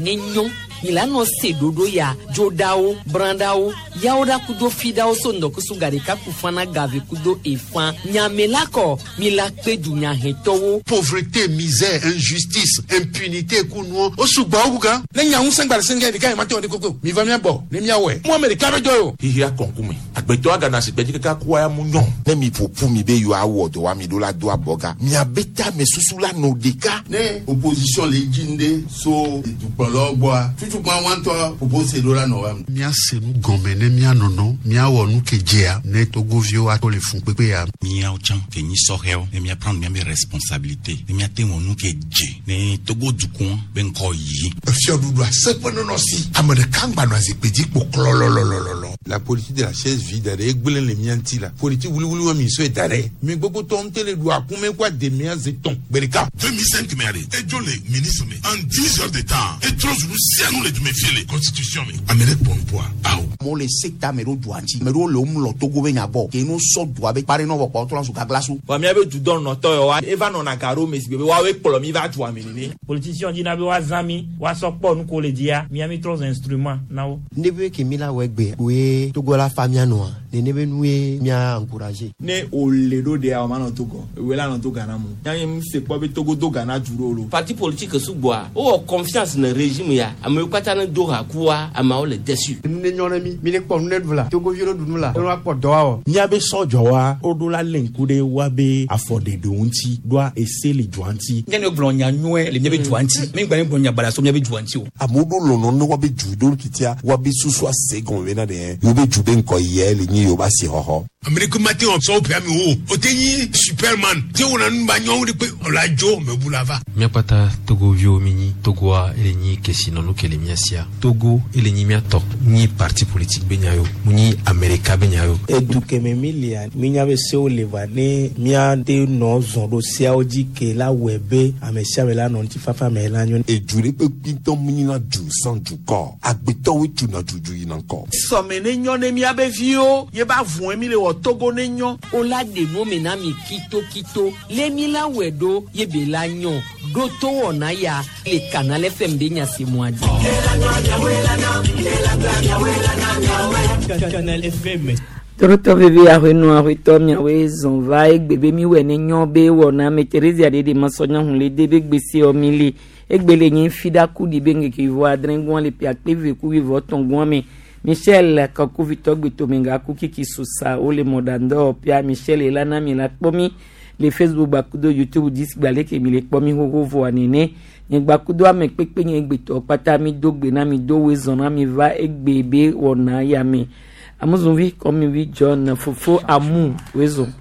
ne nyɔ mi la nɔ se ɖoɖo ya dzoɖawo brãɖawo yawo ɖa kudo fiɖawo so ŋdɔkusu gaɖeka ku fana gave kudo efã nyame la kɔ mi la kpe dunyahetɔwo. Pauvreté, misère, injustice, impunité ku nuɔ o sugbɔ wu gan. Ne nya ŋusẽ gba le sɛngɛ ɖeka yi ma te wɔ ɖe koko mi va mía gbɔ ne mía wɔe. Mu ame ɖeka be dɔ ye o. Xixia kɔnkume agbetɔ agana si gbedzi kaka kua ya mu nyɔ. Ne mi ƒoƒu mi be yewoawɔ dɔ wa mi ɖo la do abɔga miabe tame susu la nɔ ɖeka. Ne opposition le dzi ŋɖe so dukplɔlawo gbɔa tutukpa wa ŋutɔ propose ɖo la nɔ wa. Míase nu gɔme ne míanɔnɔ míawɔ nu ke dzea ne togoviwo ato le fun kpekpe ya. Míawo tsã ke nyi sɔhɛwo ne míaprendre míabe responsabilité ne míate wɔ nu ke dze ne Togo dukɔ be ŋkɔ yi. Efiɔɖuɖu aseƒe nɔnɔ si ame ɖeka ŋgba nɔ zikpui dzi kpo klɔlɔlɔlɔlɔ. La politique de la chaise vide ɖe egblẽ le mía ŋuti la politique wuliwuli wa mi sɔe da ɖe mi gbogbo tɔ ŋutɛ le ɖu akume kó ademea ze tɔn gbe ɖeka. 2005 mɛ ale edzo le ministre me en 10 heures de temps etrɔ zulu sianu le dume fie le constitution me ame ɖe kpɔ nupoa awo. Amewo le sekta me ɖo dua ŋuti ame ɖewo le wo lɔ Togo be nya gbɔ ke no sɔ dua be kpare nɔ vɔ kpɔ trɔ zu gaglasu. Vɔ míabe dudɔnɔtɔ yawoa eva nɔna ga ɖo me si gbe be woawoe kplɔ mi va dua me nene. Politicien dina be woazã mi woasɔ kpɔ nu ko le dzia mía mi trɔ zu instrument na wo. Ne be ke mi la wɔ egbe koe Togo la fa mía nɔa nene be nue mía encourager. Ne wòle ɖo ɖea wòma nɔ Togo ewoe la nɔ to Ghana mu. Nya nye se kpɔ be Togo do Ghana du ɖo lo. Parti politique sugbɔa wowɔ confiance ne régime ya amewo katã ne do ha kua ameawo le déçu. Nu ne nyɔ ne mi mi ne kpɔ nu ne ɖu la Togoviwo ne ɖu nu la ne woakpɔ dɔ awɔ. Míabe sɔdzɔwa woɖo la lé ŋku ɖe woabe afɔɖeɖewo ŋuti ɖoa ese le dua ŋuti. Nye ne gblɔ nya nyuie le míabe dua ŋuti mi gba ne gblɔ nya baɖa so míabe dua ŋuti o. Amewo ɖo lɔlɔ ne woabe du ɖo titia woabe susu ase gɔme bena ɖe yewo be du be ŋkɔ yia le nyi yewo be asixɔxɔ. Ame ɖeke mate ŋu sɔ woƒe amewo o te nyi superman te wɔna nu ba nyɔnu ɖe kpe ɔla dzo mebu la va. Míakpata togoviwo mi nyi Togoa ele nyi kesinɔnu ke le mía sia. Togo ele nyi míatɔ nyi parti politique be nya yo mu nyi Amerika be nya yo. Edu keme mi lia minya be sewo le va ne míate nɔ zɔn ɖo seawo dzi ke la wɔe be ame sia ame la nɔ ŋutifafa me la nyo. Edu ɖe kpekpe ŋutɔ mu nyina du sans dukɔ agbetɔwoe tuna dudu yina ŋkɔ. Sɔme ne nyɔ ne míabe viwo ye ba vɔe mi le wɔ Togo ne nyɔ. O la ɖe nu me na mi kitokito le mi la wɔe ɖo ye be la nyɔ ɖo to wɔna ya le Canal FM be nya si mua dzi. Canal FM. Torotɔ vevi aƒenɔ aƒetɔ miawoe zɔn va egbe be mi wɔ ne nyɔ be wɔna me Theresia ɖe ɖe masɔnya hun le de be gbese wɔ mi le egbe le nyi fi ɖa ku ɖi be ŋkeke vɔ adre gɔn le pia kpe ve ku vɔ tɔn gɔn me Michel kakuvitɔ gbetomenga ku kiki sosa wole mɔɖandɔ pia Michel elana mi la kpɔ mi le Facebook gbakudo YouTube dzi gbalẽ ke mi le kpɔ mi xoxo vɔa nene nye gbakudo ame kpekpe nye gbetɔ kpata mi do gbe na mi do woe zɔn na mi va egbe be wɔna ya me amuzunvi kɔmivi John fofo amu woe zɔn.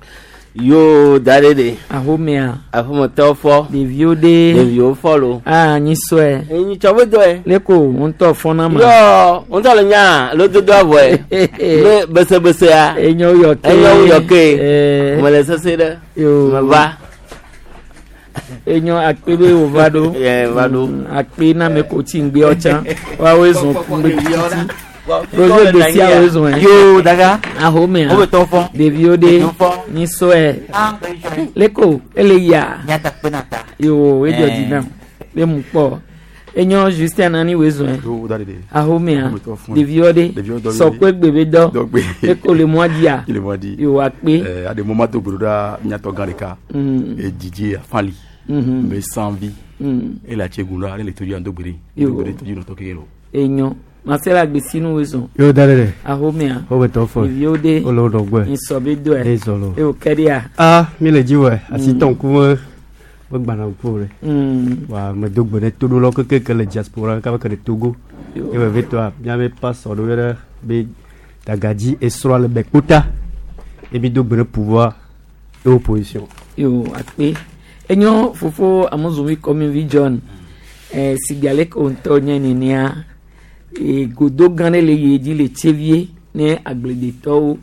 Yo da ɖe ɖe. Ahomea. Aƒemetɔwo fɔ. Ɖeviwo ɖe. Ɖeviwo fɔ lo. Aa nyi sɔe. Enyi tsɔ be dɔe. Leko ŋutɔ fɔna ma. Yɔ ŋutɔ le nya lododo avɔe. Be besebesea. Enyo yɔ ke. Enyo yɔ ke. Ɛɛ. Mele sese ɖe. Yo. Meva. Enyo akpe be wòva ɖo. Yɛ va ɖo. Akpe na me ko tsi ŋgbe ɔtsã. Woawoe zɔn ŋgbe titi. Roger Gbèsè awo zɔn yɛ. Yo daga. Ahomea. Wo be tɔ fɔ. Ɖeviwo ɖe. Ɖeviwo fɔ. Nyi sɔe. Leko ele yia. Nyata kpe na ta. Yo edzɔ dzi nam. Be mu kpɔ. Enyo Justin nani woe zɔn yɛ. Yo da ɖe. Ahomea. Wo be tɔ fɔ. Ɖeviwo ɖe. Ɖeviwo dɔ Sɔkpe gbe be dɔ. Dɔgbe. Leko le mɔa dzia. Le mɔa dzi. Yo akpe. Ɛɛ aɖe mɔ ma do gbe ɖo ɖa míatɔ gã ɖeka. Edzidzi afali. Be sanvi. Ele atsegun la ele todzi ando gbe ɖe. Yo. Do gbe ɖe todzi nɔtɔ keke lo. Enyo. Marcel Agbesinu woe zɔn. Yo da ɖe. Ahomea. Wo be tɔ fɔ. Ɖeviwo ɖe. Wole wo dɔgbe. Nyisɔ be dɔe. Ezɔ lo. Eo kɛɖia. Ah mi le dzi wɔ asi tɔ ŋkume me gbana ŋku ɖe. Wa me do gbe ɖe toɖolawo keke ke le diaspora kaba ke le Togo. Yo. Ye vevitɔa míabe pastor ɖewo ɖe be dagadzi esrɔ̃a le Bekpota. Ye mi do gbe ɖe pouvoir et opposition. Yo akpe. Enyo fofo amuzunvi kɔmivi John. Sigbe ale ke wo ŋutɔ nye nenea. Godo gã ɖe le yie dzi le tsevie ne agbledetɔwo.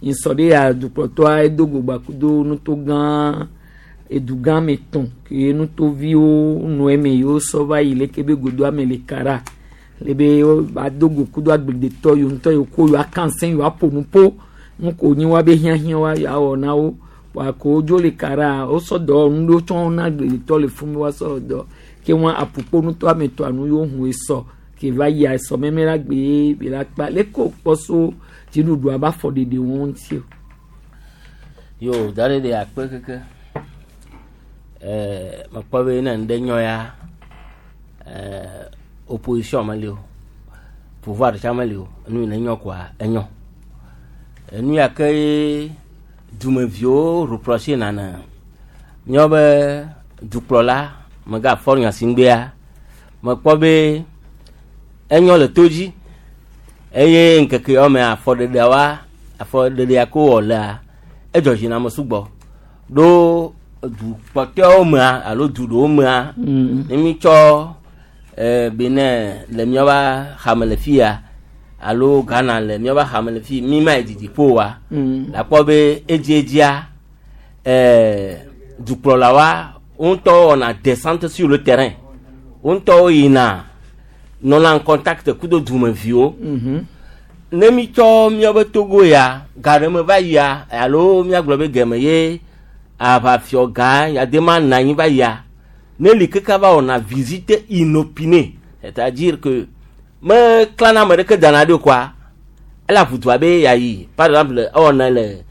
Nyisɔ ɖe ya dukplɔtɔa edo go gbakudo nuto gã edu gã me tɔn ke nutoviwo nɔ eme yewo sɔ va yi leke be godoa me le kara le be ado go kudo agbledetɔ yiwo ŋutɔ yiwo ko yewo akansẽ yewo aƒo nu ƒo nu ko nyi woabe hiahiã wa yewoawɔ na wo wa ko wodzo le kara wosɔ dɔwɔnu ɖewo tsɔ na agbledetɔ le fún mi woasɔ dɔ Ke wọn apukponutɔ ametɔ anu yóò hun esɔ ke va yia esɔ mɛmɛ la gbe be la kpa leko kpɔ so dziɖuɖu aba fɔ ɖeɖe wọn ŋuti o. Yo da ɖe ɖe akpe keke. Ɛɛ mekpɔ be ne ŋɖe nyɔ ya ɛɛ opposition meli o. Pouvoir tsã meli o. Enu yi ne nyɔ koa enyɔ. Enu ya ke ye dumeviwo reproche nana míawo be dukplɔla megafɔ nyasingbea mekpɔ be enyɔ le to dzi eye ŋkeke yawo me afɔɖeɖeawoa afɔɖeɖea ko wɔ lea edzɔ dzi na ame sugbɔ ɖo du kpɔtɔewo mea alo du ɖewo mea ne mítsɔ Benin le míaƒe xame le fia alo Ghana le míaƒe xame le fi mi ma yi didi ƒo wa la kpɔ be edziedzia dukplɔlawoa wo ŋutɔ wɔna descente sur le terrain wo ŋutɔwo yina nɔna en contact kudo dumeviwo ne mi tsɔ míaƒe Togo ya ga ɖe me va yia alo míagblɔ be geme ye aʋafiɔ gã yadema nɔ anyi va yia ne li keke va wɔna visite inopinée c'est-à-dire que me klana ame ɖeke dana ɖo koa ele aʋudua be yeayi par exemple ewɔna le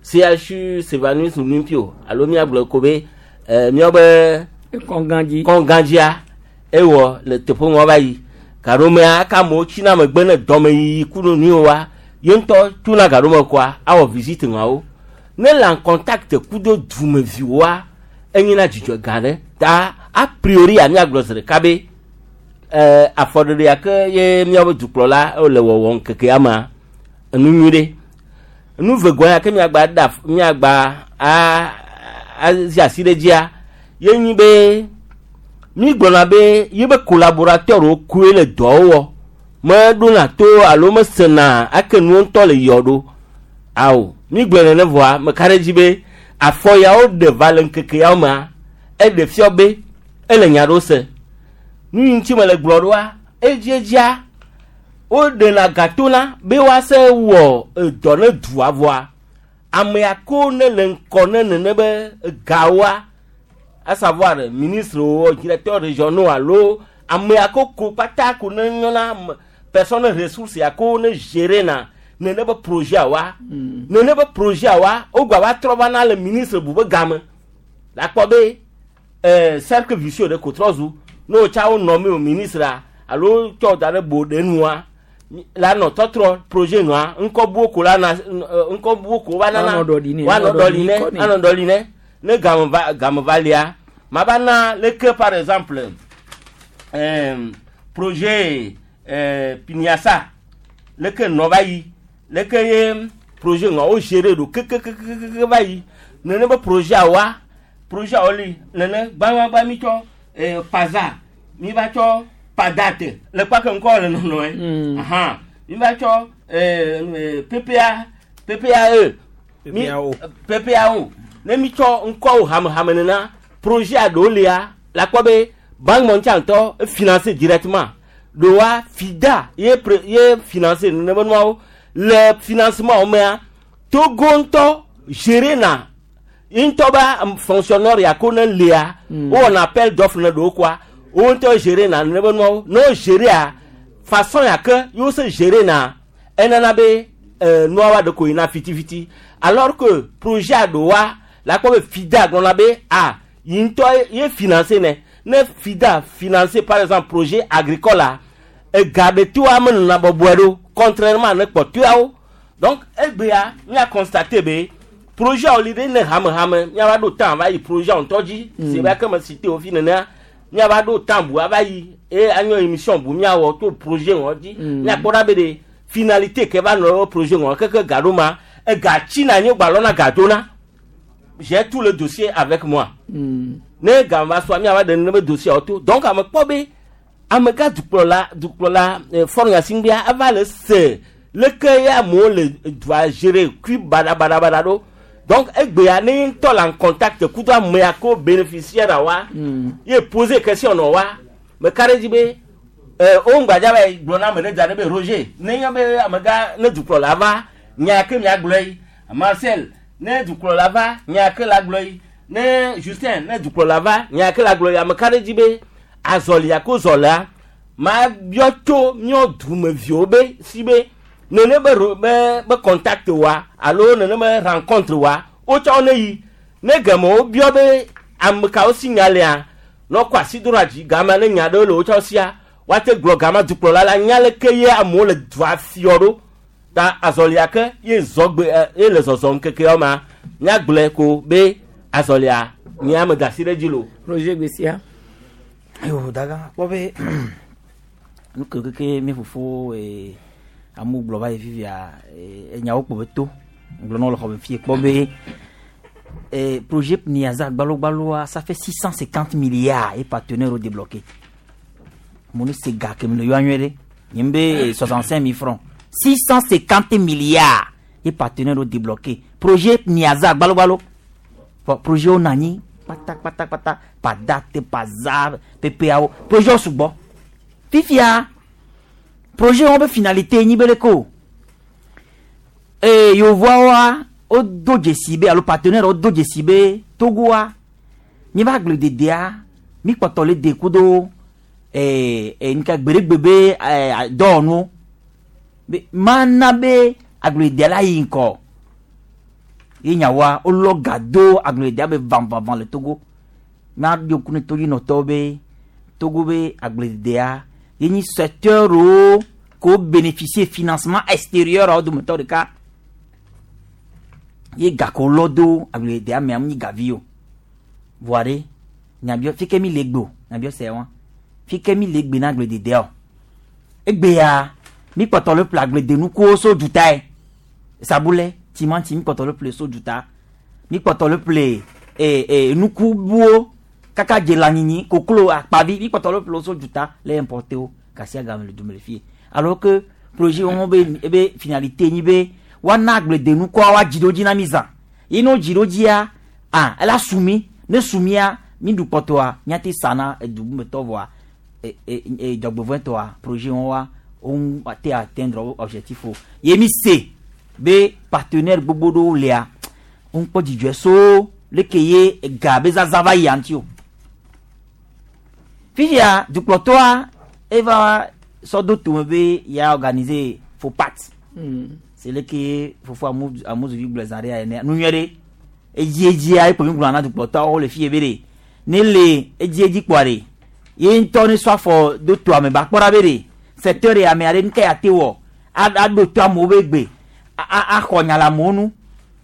CHU Sylvanus Olympio alo míagblɔ ko be míaƒe kɔngãdzi kɔngãdzia ewɔ le teƒe ŋua va yi gaɖomea aka amewo tsina megbe ne dɔmeyiyi ku ɖo nuyiwo wa ye ŋutɔ tuna gaɖome koa awɔ visite ŋuawo ne le en contact kudo dumeviwoa enyina dzidzɔ gã ɖe ta a priori míagblɔ zi ɖeka be afɔɖeɖe ya ke ye míaƒe dukplɔla le wɔwɔ ŋkekea mea enu nyui ɖe nu vegoa ya ke míagba da míagba a azi asi ɖe dzia ye nyi be mi gblɔna be yebe collaborateur wo koe le dɔwo wɔ meɖona to alo mesena ake nuwo ŋutɔ le yɔ ɖo awo mi gblɔ nene vɔa meka ɖe dzi be afɔ yawo ɖe va le ŋkeke yawo mea eɖe fiɔ be ele nya ɖo se nu yi ŋuti me le gblɔ ɖoa edziedzia woɖena gatona be woase wɔ edɔ ne dua vɔa amea ko ne le ŋkɔ ne nene be gawoa à savoir ministre wo directeur régionaux alo amea ko ko kpata ko ne nyɔna personne ressource ya ko ne gérer na nene be projet wa nene be projet wa wogba va trɔ va na le ministre bu be game la kpɔ be cercle vicieux ɖe ko trɔ zu ne wotsa wo nɔ mi o ministre alo tsɔ da ɖe bo ɖe nua la nɔ tɔtrɔ projet nua ŋkɔ buwo ko la na ŋkɔ buwo ko va nana woanɔ ɖɔli nɛ anɔ ɖɔli nɛ ne game va game va lia ma va na leke par exemple projet Piniasa leke nɔ va yi leke ye projet ŋua wo gérer ɖo kekekekeke va yi nene be projet wa projet wo li nene gbãgbãgbã mi tsɔ Paza mi va tsɔ Padate le kpake ŋkɔ le nɔnɔe ahan mi va tsɔ PPA PPAE mi PPAO ne mi tsɔ ŋkɔwo hamehame nena projet aɖewo lia la kpɔ be banque mondiale ŋutɔ finance directement ɖowa FIDA ye pre ye finance nene be nuawo le financement wo mea Togo ŋutɔ gérer na ŋutɔ be fonctionnaire ya ko ne lia wowɔna appel d'offre ne ɖewo koa wo ŋutɔ gérer na nene be nuawo ne wo gérer façon ya ke yewo se gérer na enana be nuawoa ɖe ko yina fitifiti alors que projet aɖewoa la kpɔ be FIDA gblɔna be ah yi ŋutɔ ye finance ne ne FIDA finance par exemple projet agricole la ega ɖe toa menɔna bɔbɔe ɖo contrairement ne kpɔtɔeawo donc egbea mía constate be projet wo li ɖe ne hamehame míava ɖo temps va yi projet ŋutɔ dzi si be ake me cité wo fi nenea míava ɖo temps bu ava yi eye anyo émission bu míawɔ to projet ŋɔ dzi míakpɔ ɖa be ɖe finalité ke va nɔ projet ŋɔ keke ga ɖo ma ega tsina anyi gba lɔna ga dona j'ai tout le dossier avec moi ne ga va sɔa míava ɖe nene be dossier wo to donc ame kpɔ be amegã dukplɔla dukplɔla Faure Gnassingbé eva le se leke ye amewo le dua gérer kui baɖabaɖabaɖa ɖo donc egbea ne ye ŋutɔ le en contact kudo amea ko bénéficiaire wa ye poser question nɔ wa meka ɖe dzi be wo ŋgbadza va yi gblɔ na ame ɖe da ɖe be Roger ne nye be amegã ne dukplɔla va nya ke miagblɔ yi Marcel ne dukplɔla va nya ke la gblɔ yi Ne Justin ne dukplɔla va nya ke le agblɔ ya meka ɖe dzi be azɔlia ko zɔlea ma biɔ tso míɔ dumeviwo be si be nene be ro be be contact wa alo nene be rencontre wa wotsɔ ne yi ne geme wobiɔ be ame kawo si nya lea ne wokɔ asi do ɖe dzi gama ne nya ɖewo le wotsɔ sia woate gblɔ gama dukplɔla la nya leke ye amewo le dua fiɔ ɖo ta azɔlia ke ye zɔ gbe ɛ ye le zɔzɔ ŋkekeawo ma míagblɔe ko be azɔlia nyea me da asi ɖe dzi lo. Roger Gbesia. Ayo daga kpɔ be nu ke keke mi fofo ee amewo gblɔ va yi fifia ee enyawo kpɔ be to gblɔ na wo le xɔ me fie kpɔ be ee projet Niaza gbalogbaloa ça fait 650 milliards et partenaires au débloqué. Mo ne se ga ke mi le yɔ anyuie ɖe nye be 65 000 francs 650 milliards et partenaires au débloqué projet Niaza gbalogbalo Bon, projet wo nɔ anyi kpatakpatakpata pa date pa za pepeawo projet wo sugbɔ fifia projet wo be finalité nyi be leke o ee yevuawoa wodo dzesi be alo partenaire wo do dzesi be Togoa míaƒe agblededea mi kpɔtɔ le de kudo ee ee nuka gbeɖegbe be ee dɔwɔnuwo be mana be agblededea la yi ŋkɔ ye nyawoa wolɔ ga do agblededea be vavavã le Togo míaɖo ku ne todzinɔtɔwo be Togo be agblededea ye nyi secteur wo ko bénéficier financement extérieur wo dometɔ ɖeka ye ga ko lɔ do agblededea mea mu nyi gavi o voa ɖe nyabiɔ fi ke mi le gbe o nyabiɔ se wa fi ke mi le gbe na agblededea o egbea mi kpɔtɔ le ƒle agbledenukuwo so dutae sabulɛ timanti mi kpɔtɔ le ƒle so duta mi kpɔtɔ le ƒle ee ee nukubuwo kaka dze lãnyinyi koklo akpavi mi kpɔtɔ le ƒle so duta le importer wo gasia game le dume le fie alors que projet wɔn be ebe finalité nyi be woana agbledenukua woadzi ɖo dzi na mi zã ye ne wodzi ɖo dzia ah ela su mi ne su mia mi ɖu kpɔtɔa míate sa na edu bumetɔ vɔa e e e dzɔgbevɔ̃etɔa projet wɔn wa wo ŋu ate atteindre wo objectif o ye mi se be partenaire gbogbo ɖewo lia wo ŋu kpɔ dzidzɔe so leke ye ega be zaza va yia ŋuti o fifia dukplɔtɔa eva sɔ do tome be ya organiser FOPAT c'est leke fofo amuzuvi gblɔ zã ɖe ya ene nu nyuie ɖe edziedzia ekpo mi gblɔ na dukplɔtɔawo le fie be ɖe ne le edziedzi kpɔa ɖe ye ŋutɔ ne sɔ afɔ do toa me ba kpɔ ɖa be ɖe secteur ya me aɖe nuke ya te wɔ aɖo to amewo be gbe axɔ nya le amewo nu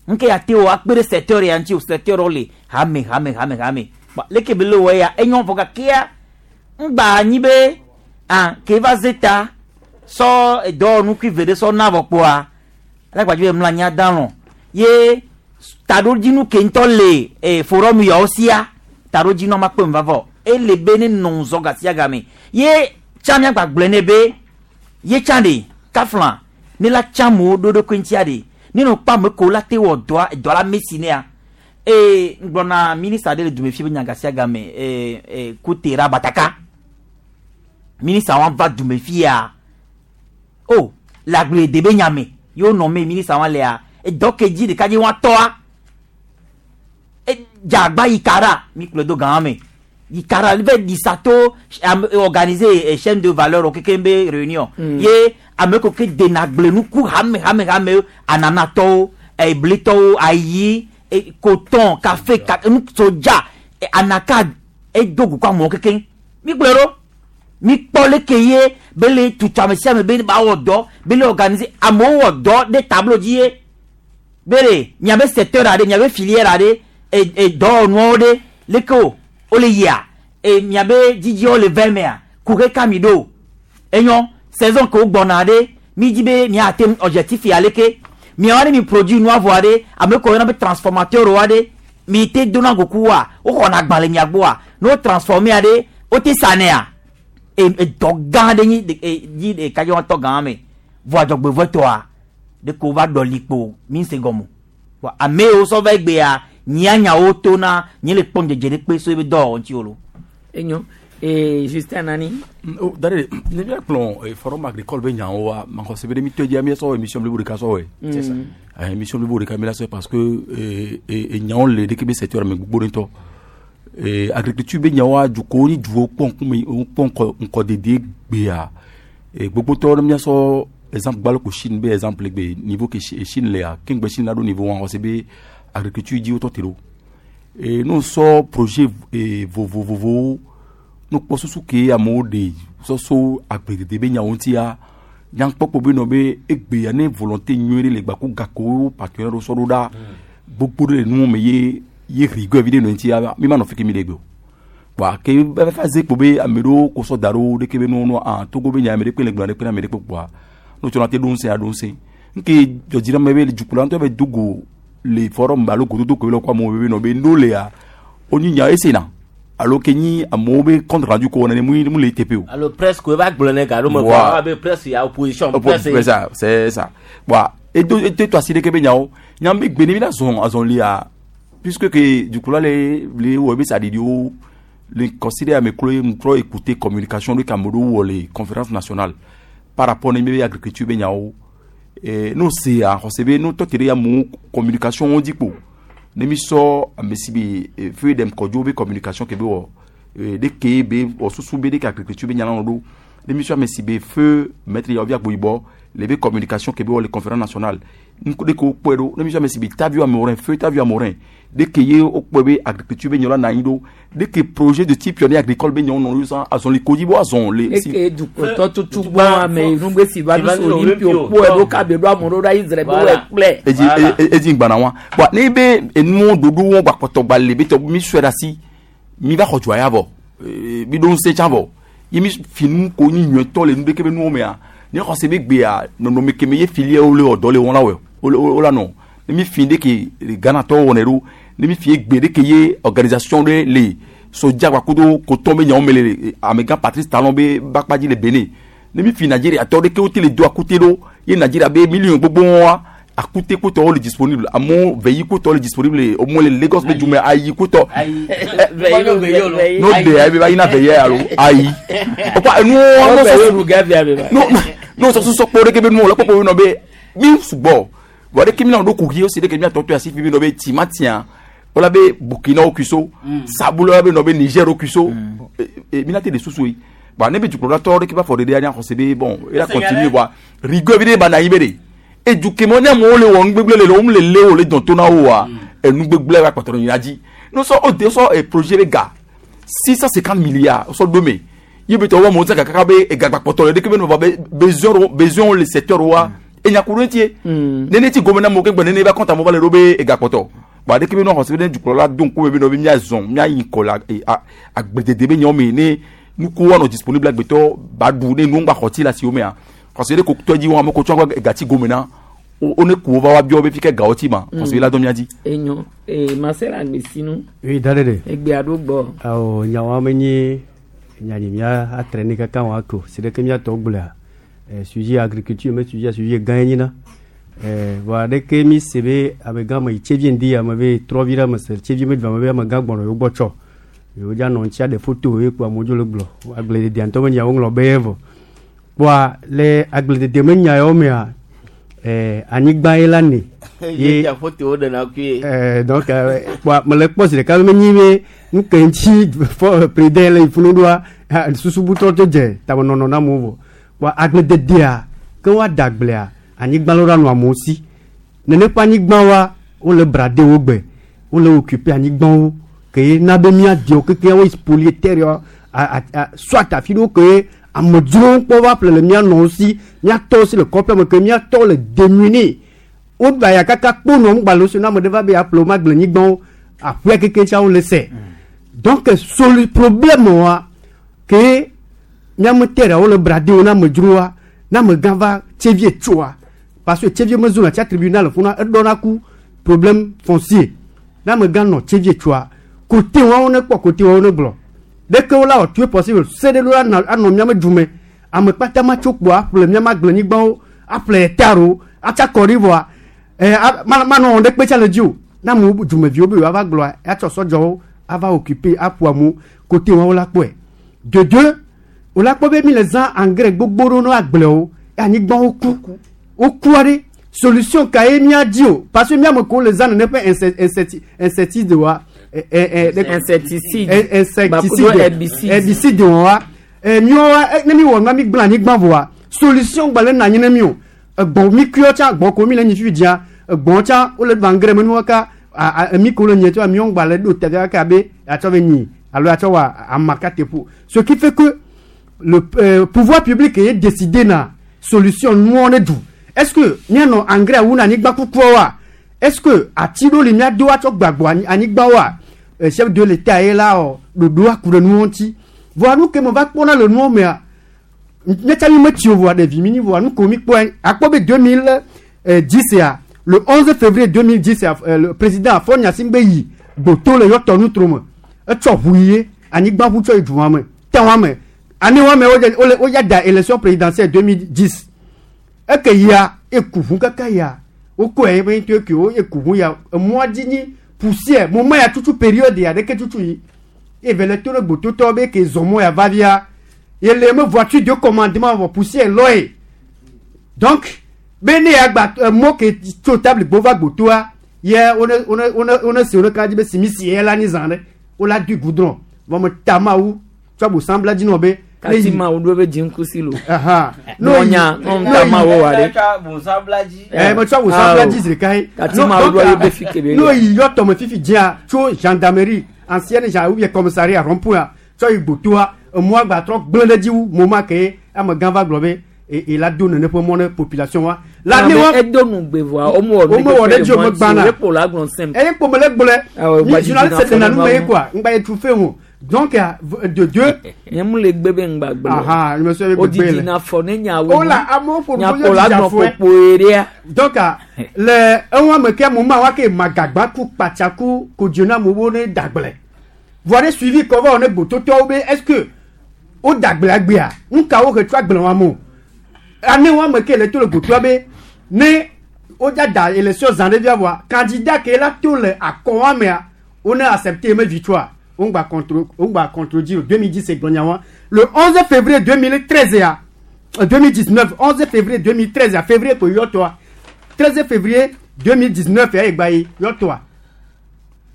nuke ya te wɔ akpe ɖe secteur ya ŋuti o secteur wo le hame hame hame hame Ba, leke be le wɔ ya enyɔ vɔ gakea ŋgba anyi be ah ke va ze ta sɔ edɔwɔnu kui ve ɖe sɔ na vɔ kpoa alagbadzi be mlɔ anyi ada lɔ ye taɖodzinu ke ŋutɔ le e forum yawo sia taɖodzinu ma kpe vavɔ ele be ne nɔ ŋzɔ gasia game ye tsã miagba gblɔe ne be ye tsã ɖe kafla ne la tsã amewo ɖo ɖokui ŋutia ɖe ne nɔ kpɔ ame ko la te wɔ dɔa edɔ la mesi nea ee ŋgblɔna minista ɖe le dume fi be nya gasia game ee ee kutera bataka minista wa va dume fia o le agblede be nya me ye wonɔ me minista wa lea edɔ ke dzi ɖeka dzi wa tɔa e dzagba yi kara mi kplɔe do gã me yi kara va ɖisa to ame organiser e chaîne de valeur keke be réunion ye ame ko ke dena agblenuku hame hame hame ananatɔwo eblitɔwo ayi e, coton café ka nu soja e, anaka edo gu kɔ amewo keke mi kplɔe ɖo mi kpɔ leke ye be le tutu ame sia ame be ba wɔ dɔ be le organiser amewo wɔ dɔ ɖe tableau dzi ye be ɖe miabe secteur aɖe miabe filière aɖe e e dɔwɔnuawo ɖe leke o wole yia e miabe dzidziwo le vɛ mea kuxe ka mi ɖo enyɔ saison ke wo gbɔna ɖe mi dzi be miate objectif ya leke miawo ɖe mi produit nua vɔa ɖe ame ko yɔna be transformateur wa ɖe mi te dona goku wa woxɔna agba le mia gbɔa ne wo transformer ɖe wote sanea e edɔ gã ɖe nyi e dzi ɖeka dzi wɔtɔ gã me vɔa dzɔgbevɔtɔa ɖe ko va ɖɔli kpo mi se gɔme vɔ ame yiwo sɔ va egbea nyia nyawo tona nye le kpɔm dzedze ɖe kpe so ebe dɔwɔwɔ ŋuti o lo. Enyo ee Justin Nani. Oh, dare ne bia kplɔ forum agricole be nyawo wa maxɔ se be ɖe mi tɔ dzia mi sɔ émission blibo ɖeka sɔ wɔe. C'est ça. Émission blibo ɖeka mi la sɔe parce que enyawo le ɖeke be secteur me gbogbo ɖe ŋutɔ. Agriculture be nyawoa dukɔwo ni duwo kpɔ ŋkume kpɔ ŋkɔ ŋkɔdede gbea gbogbotɔwo ne míasɔ exemple gbalo ko Chine be exemple gbe niveau ke Chine lea keŋgbe Chine la ɖo niveau wa xɔse be agriculture dzi wotɔ te ɖo. Ne wosɔ projet vovovovowo ne wokpɔ susu ke amewo ɖe sɔ so agbledede be nyawo ŋutia nyankpɔkpɔ be nɔ be egbea ne volonté nyuie ɖe le gbaku gakowo partenaire ɖewo sɔ ɖo ɖa gbogbo ɖe le nuwo me ye ye rigueur vi ɖe nɔ ŋutia mi ma nɔ fi ke mi le gbe o. Kpoa ke va va ze kpo be ame ɖewo ko sɔ da ɖo ɖeke be nuwo ah Togo be nya ame ɖe kpe le gblɔ ɖe kpe na ame ɖe kpe kpoa ne wotsɔ na te ɖo ŋusẽ aɖo ŋusẽ. Nke dzɔdzi na ame be dukplɔla ŋutɔ be do go le forum alo gododo ko le kɔ amewo be nɔ be no lea wonyi nya esena alo ke nyi amewo be compte rendu ko wɔna ne mu mu le teƒe o. Alo presse ko eva gblɔ ne gaɖo me Voilà. kɔ abe presse ya opposition presse. C'est ça, c'est ça. Bon, edo eto to asi ɖeke be nyawo nyam be gbe ne mi la zɔn azɔlia puisque que du coup là les les wo be saɖiɖiwo le considère ame klo ŋtrɔ écouter communication de Cameroun wɔ le conférence nationale par rapport ne mi be agriculture be nyawo n'o se a xɔse be n'o tɔ te ɖe amewo communication wo dzi kpo ne mi sɔ ame si be feuille dem kɔdzo be communication ke be wɔ ɖe ke be wɔ susu be ɖe ke agriculture be nya la nɔ ɖo ne mi sɔ ame si be feu maître yaovi agboyibɔ le be communication ke be wɔ le conférence nationale ŋku ɖe ke wokpɔe ɖo ne mi sɔ ame si be tavio amorin feu tavio amorin ɖe ke ye wokpɔe be agriculture be nya la nɔ anyi ɖo ɖe ke projet de type pionnier agricole be nyawo nɔ ɖo zã azɔli kodzi bo azɔn le Eke dukplɔtɔ tutu gbɔ ame nugbe si va ɖo so Olympio kpɔe ɖo kabe ɖo amewo ɖo ɖa Israel be wɔe kplɛ. edzi edzi ŋgbana wa bɔn ne be enuwo ɖoɖo wo gbakpɔtɔ gba le be tɔ mi sɔe ɖe asi mi va xɔ dzoa ya vɔ mi ɖo ŋusẽ tsã vɔ ye mi fi nu ko nyi nyuietɔ le nu ɖeke be nuwo mea ne xɔse be gbea nɔnɔme keme ye filiawo le wɔ dɔ le wɔn la wɔ wo la nɔ ne mi fi ɖe ke Ghanatɔwo wɔnɛ ɖo ne mi fi gbe ɖe ke ye organisation ɖe le sodza gbakudo kotɔn be nyawo me le amegã Patrice Talon be bakpa dzi le Benin ne mi fi Nigeria tɔ ɖe ke wote le do akute ɖo ye Nigeria be million gbogbo wa akute kotɔwo le disponible amewo veyi kotɔwo le disponible au moins le Lagos be dume ayi kotɔ n'o de ayi be ba yina veyi alo ayi o kpa enuwo n'o sɔ sɔ kpɔ ɖe ke be nuwo le kpɔkpɔ be nɔ be mi sugbɔ vɔ ɖe ke mi na ɖo kuxi wosi ɖe ke mi atɔ to asi fi bi nɔ be timatia wala be Burkina wo kuso sabula wala be nɔ be Niger wo kuso mi na te de susu yi bon ne be dukplɔla tɔ ɖe ke ba fɔ ɖe ɖe anya xɔse be bon ela continue wa rigueur vi ɖe ba na anyi be de edukemɔ ne amewo le wɔ nugbegble le le wo le lé wo le dɔn to na wo wa enugbegble va kpɔtɔ nyina dzi no sɔ o de sɔ projet be ga 650 milliards sɔ do me ye be tɔ wo amewo sɛ kaka be egagba kpɔtɔ le ɖeke be nɔ be besoin besoin le secteur wa enyakuru etie nene ti gome na amewo ke gbe nene ba compte amewo va le ɖo be egakpɔtɔ bon aɖeke be nɔ xɔse be ne dukplɔla do ŋkume be nɔ be míazɔn míayi ŋkɔ le agbledede be nyawo me ne nukuwo anɔ disponible agbetɔ ba ɖu ne nuwo ŋgba xɔ tsi le asiwo mea xɔse ɖe ko tɔ dzi wɔn ame ko tsɔ gatsi gome na wo ne ku wo va wa biɔ be fi ke gawo tsi ma xɔse la dɔ mía dzi. Enyo ee Marcel Agbesinu. Oui, dadede. Egbe aɖo gbɔ. Awɔ nyawo ame nyi nyanyi mía atre ne kaka wɔn ako si ɖeke mía tɔ gblɔa sujet agriculture me sujet sujet gã ye nyina vɔa ɖeke mi se be amegã me yi tsevie ŋdi ame be trɔ vi ɖe ame se tsevie me du ame be amegã gbɔnɔ yewo gbɔ tsɔ yewo dza nɔ ŋutia ɖe foto ye kpo amewo dzo le gblɔ agblededea ŋutɔ me nyawo ŋlɔ be ye vɔ kpoa le agbledede me nya yawo mea anyigba ye la ne ye foto ɖena kui. Donc kpoa mele kpɔ zi ɖeka be menyi be nu ke ŋuti fɔ président le funu ɖoa susubutɔ to dze tamenɔnɔ na amewo vɔ kpoa agblededea ke woada agblea anyigba lɔ ɖe anɔ amewo si nene ƒe anyigba wa wole brade wo gbe wole occuper anyigbawo ke ye na be míadewo keke wo spolier terre soit afi ɖewo ke amedzrowo kpɔ va ƒle le mía nɔwo si míatɔwo si le kɔƒe me ke míatɔwo le démunis woɖu aya kaka kponɔ ŋgba le wo si ne ame ɖe va be yeaƒle wo magble nyigbawo aƒea keke tsa wole se donc solu problème wa ke míame terre wole brade wo na amedzrowoa na amegã va tsevie tsoa parce que tsevie mezo na tsia tribunal funa eɖɔna ku problème foncier na amegã nɔ tsevie tsoa kote wɔwo ne kpɔ kote wɔwo ne gblɔ ɖeke wo la wɔ tout est possible se ɖe ɖo anɔ míame dume ame kpata ma tso kpoa aƒle míame agblenyigbawo aƒle hectarewo atsa kɔ ɖi vɔa manɔ wɔn ɖe kpe tsa le dzi o na amewo dumeviwo be yewoava gblɔa atsɔ sɔdzɔwo ava occuper aƒo amewo kote wɔwo la kpɔe dodo wo la kpɔ be mi le zã engrais gbogbo ɖo no agblewo anyigbawo ku wokua ɖe Solution ka ye mía di o parce que míame ko le zã nene ƒe insecticide wa. Insecticide. Insecticide. Bakudo herbicide. Herbicide wa. Míawo wa ne mi wɔ nua mi gblẽ anyigba vɔa solution gba le na anyi ne mi o. Egbɔ mi kuiɔ tsã gbɔ ko mi le nyi fifi dzia egbɔ tsã wole ɖu angrais me nuwo ka emi ko le nyi tsã miawo gba le ɖo teƒe kaka be atsɔ be nyi alo atsɔ wɔ ama ka teƒo. Ce qui fait que le pouvoir public ye décidé na solution nuwo ne du. Est-ce que mianɔ angrais wu na anyigba kukuawoa? Est-ce que ati ɖewo li miado atsɔ gbagbɔ anyigbawoa? Chef de l'État ye la wɔ ɖoɖo aku ɖe nuwo ŋuti. Vɔa nu ke me va kpɔna le nuwo mea, ne tsa mi metsi o vɔa ɖevi mi nyi vɔa nu ko mi kpɔe akpɔ be 2010 ya le 11 février 2010 ya le président Faure Gnassingbé yi gboto le yɔtɔ nutro me etsɔ ʋu yie anyigba ʋu tsɔ yi dua me tɛwa me année wa me wole woya da élection présidentielle 2010 eke yia eku ʋu kaka ya wokɔe ebe ŋutɔ eke wo eku ʋu ya emɔa dzi nyi poussière moment ya tutu période ya ɖeke tutu yi eve le to ɖe gbototɔ be ke zɔ mɔ ya va via ye le me voiture de commandement vɔ poussière lɔe donc be ne ya gba mɔ ke tso table gbɔ va gbotoa ye wone wone wone wone se wone ka dzi be simisi ye la nyi zã ɖe wola dui goudron vɔ me ta mawu tsɔ bosambla dzi nɔ be Kati ma wo ɖo be dziŋkusi lo. Aha. Nɔnya nɔnya ma wo wa ɖe. Me tsɔ bosambla dzi zi ɖeka ye. Kati ma wo ɖo ye be fi kebe. N'o yi yɔ tɔme fifi dzia tso gendarmerie ancienne gen ou bien commissariat rond-point tsɔ yi gbotoa emɔa gba trɔ gblẽ ɖe dzi wu moment ke amegã va gblɔ be e la do nene ƒe mɔ ne population wa. La ne wa edo nu gbe vɔa womewɔ nu womewɔ ɖe dzi o megbana. Ye kpo la gblɔ simple. Eye kpo me le gblɔe. Mi journaliste tena nu me ye quoi ŋgba ye tu fe o. Donc de deux. Nye mu le gbe be ŋgba gblɔ. Aha, je me suis O didi na fɔ ne nyawo. O la amewo ƒo nu Nya kpo la gblɔ kpokpo ɖea. Donc le eŋua me ke mo ma wa ke magagba ku kpatsaku kodzona mo wo ne dagble. Voa ne suivi kɔ va wɔ ne gbototɔwo be est-ce que wo dagble agbea nu ka wo he tso agble wa mo. Ane wa me ke le to le gbotoa be ne wo dza da élection zã ɖe via voa candidat ke la to le akɔ wa mea wo ne accepté me victoire. On va contre on va contredire 2010 gblɔ le 11 février 2013 ya 2019 11 février 2013 ya février ko yɔtɔa 13 février 2019 ya egba yi yɔtɔa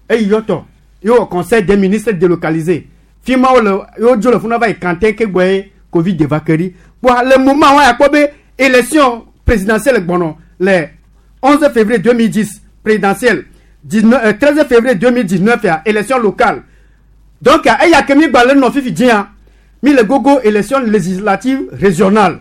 eyi yɔtɔ ye wɔ conseil des ministres délocalisé fima wo le ye dzo le funa va yi kantin ke gbɔ ye Covid va ke ɖi kpoa le moment wa ya kpɔ be élection présidentielle gbɔnɔ le 11 février 2010 présidentielle 19, 13 février 2019 ya élection locale. Donc eya ke mi gba le nɔ fifi dzia mi le gogo élection législative régionale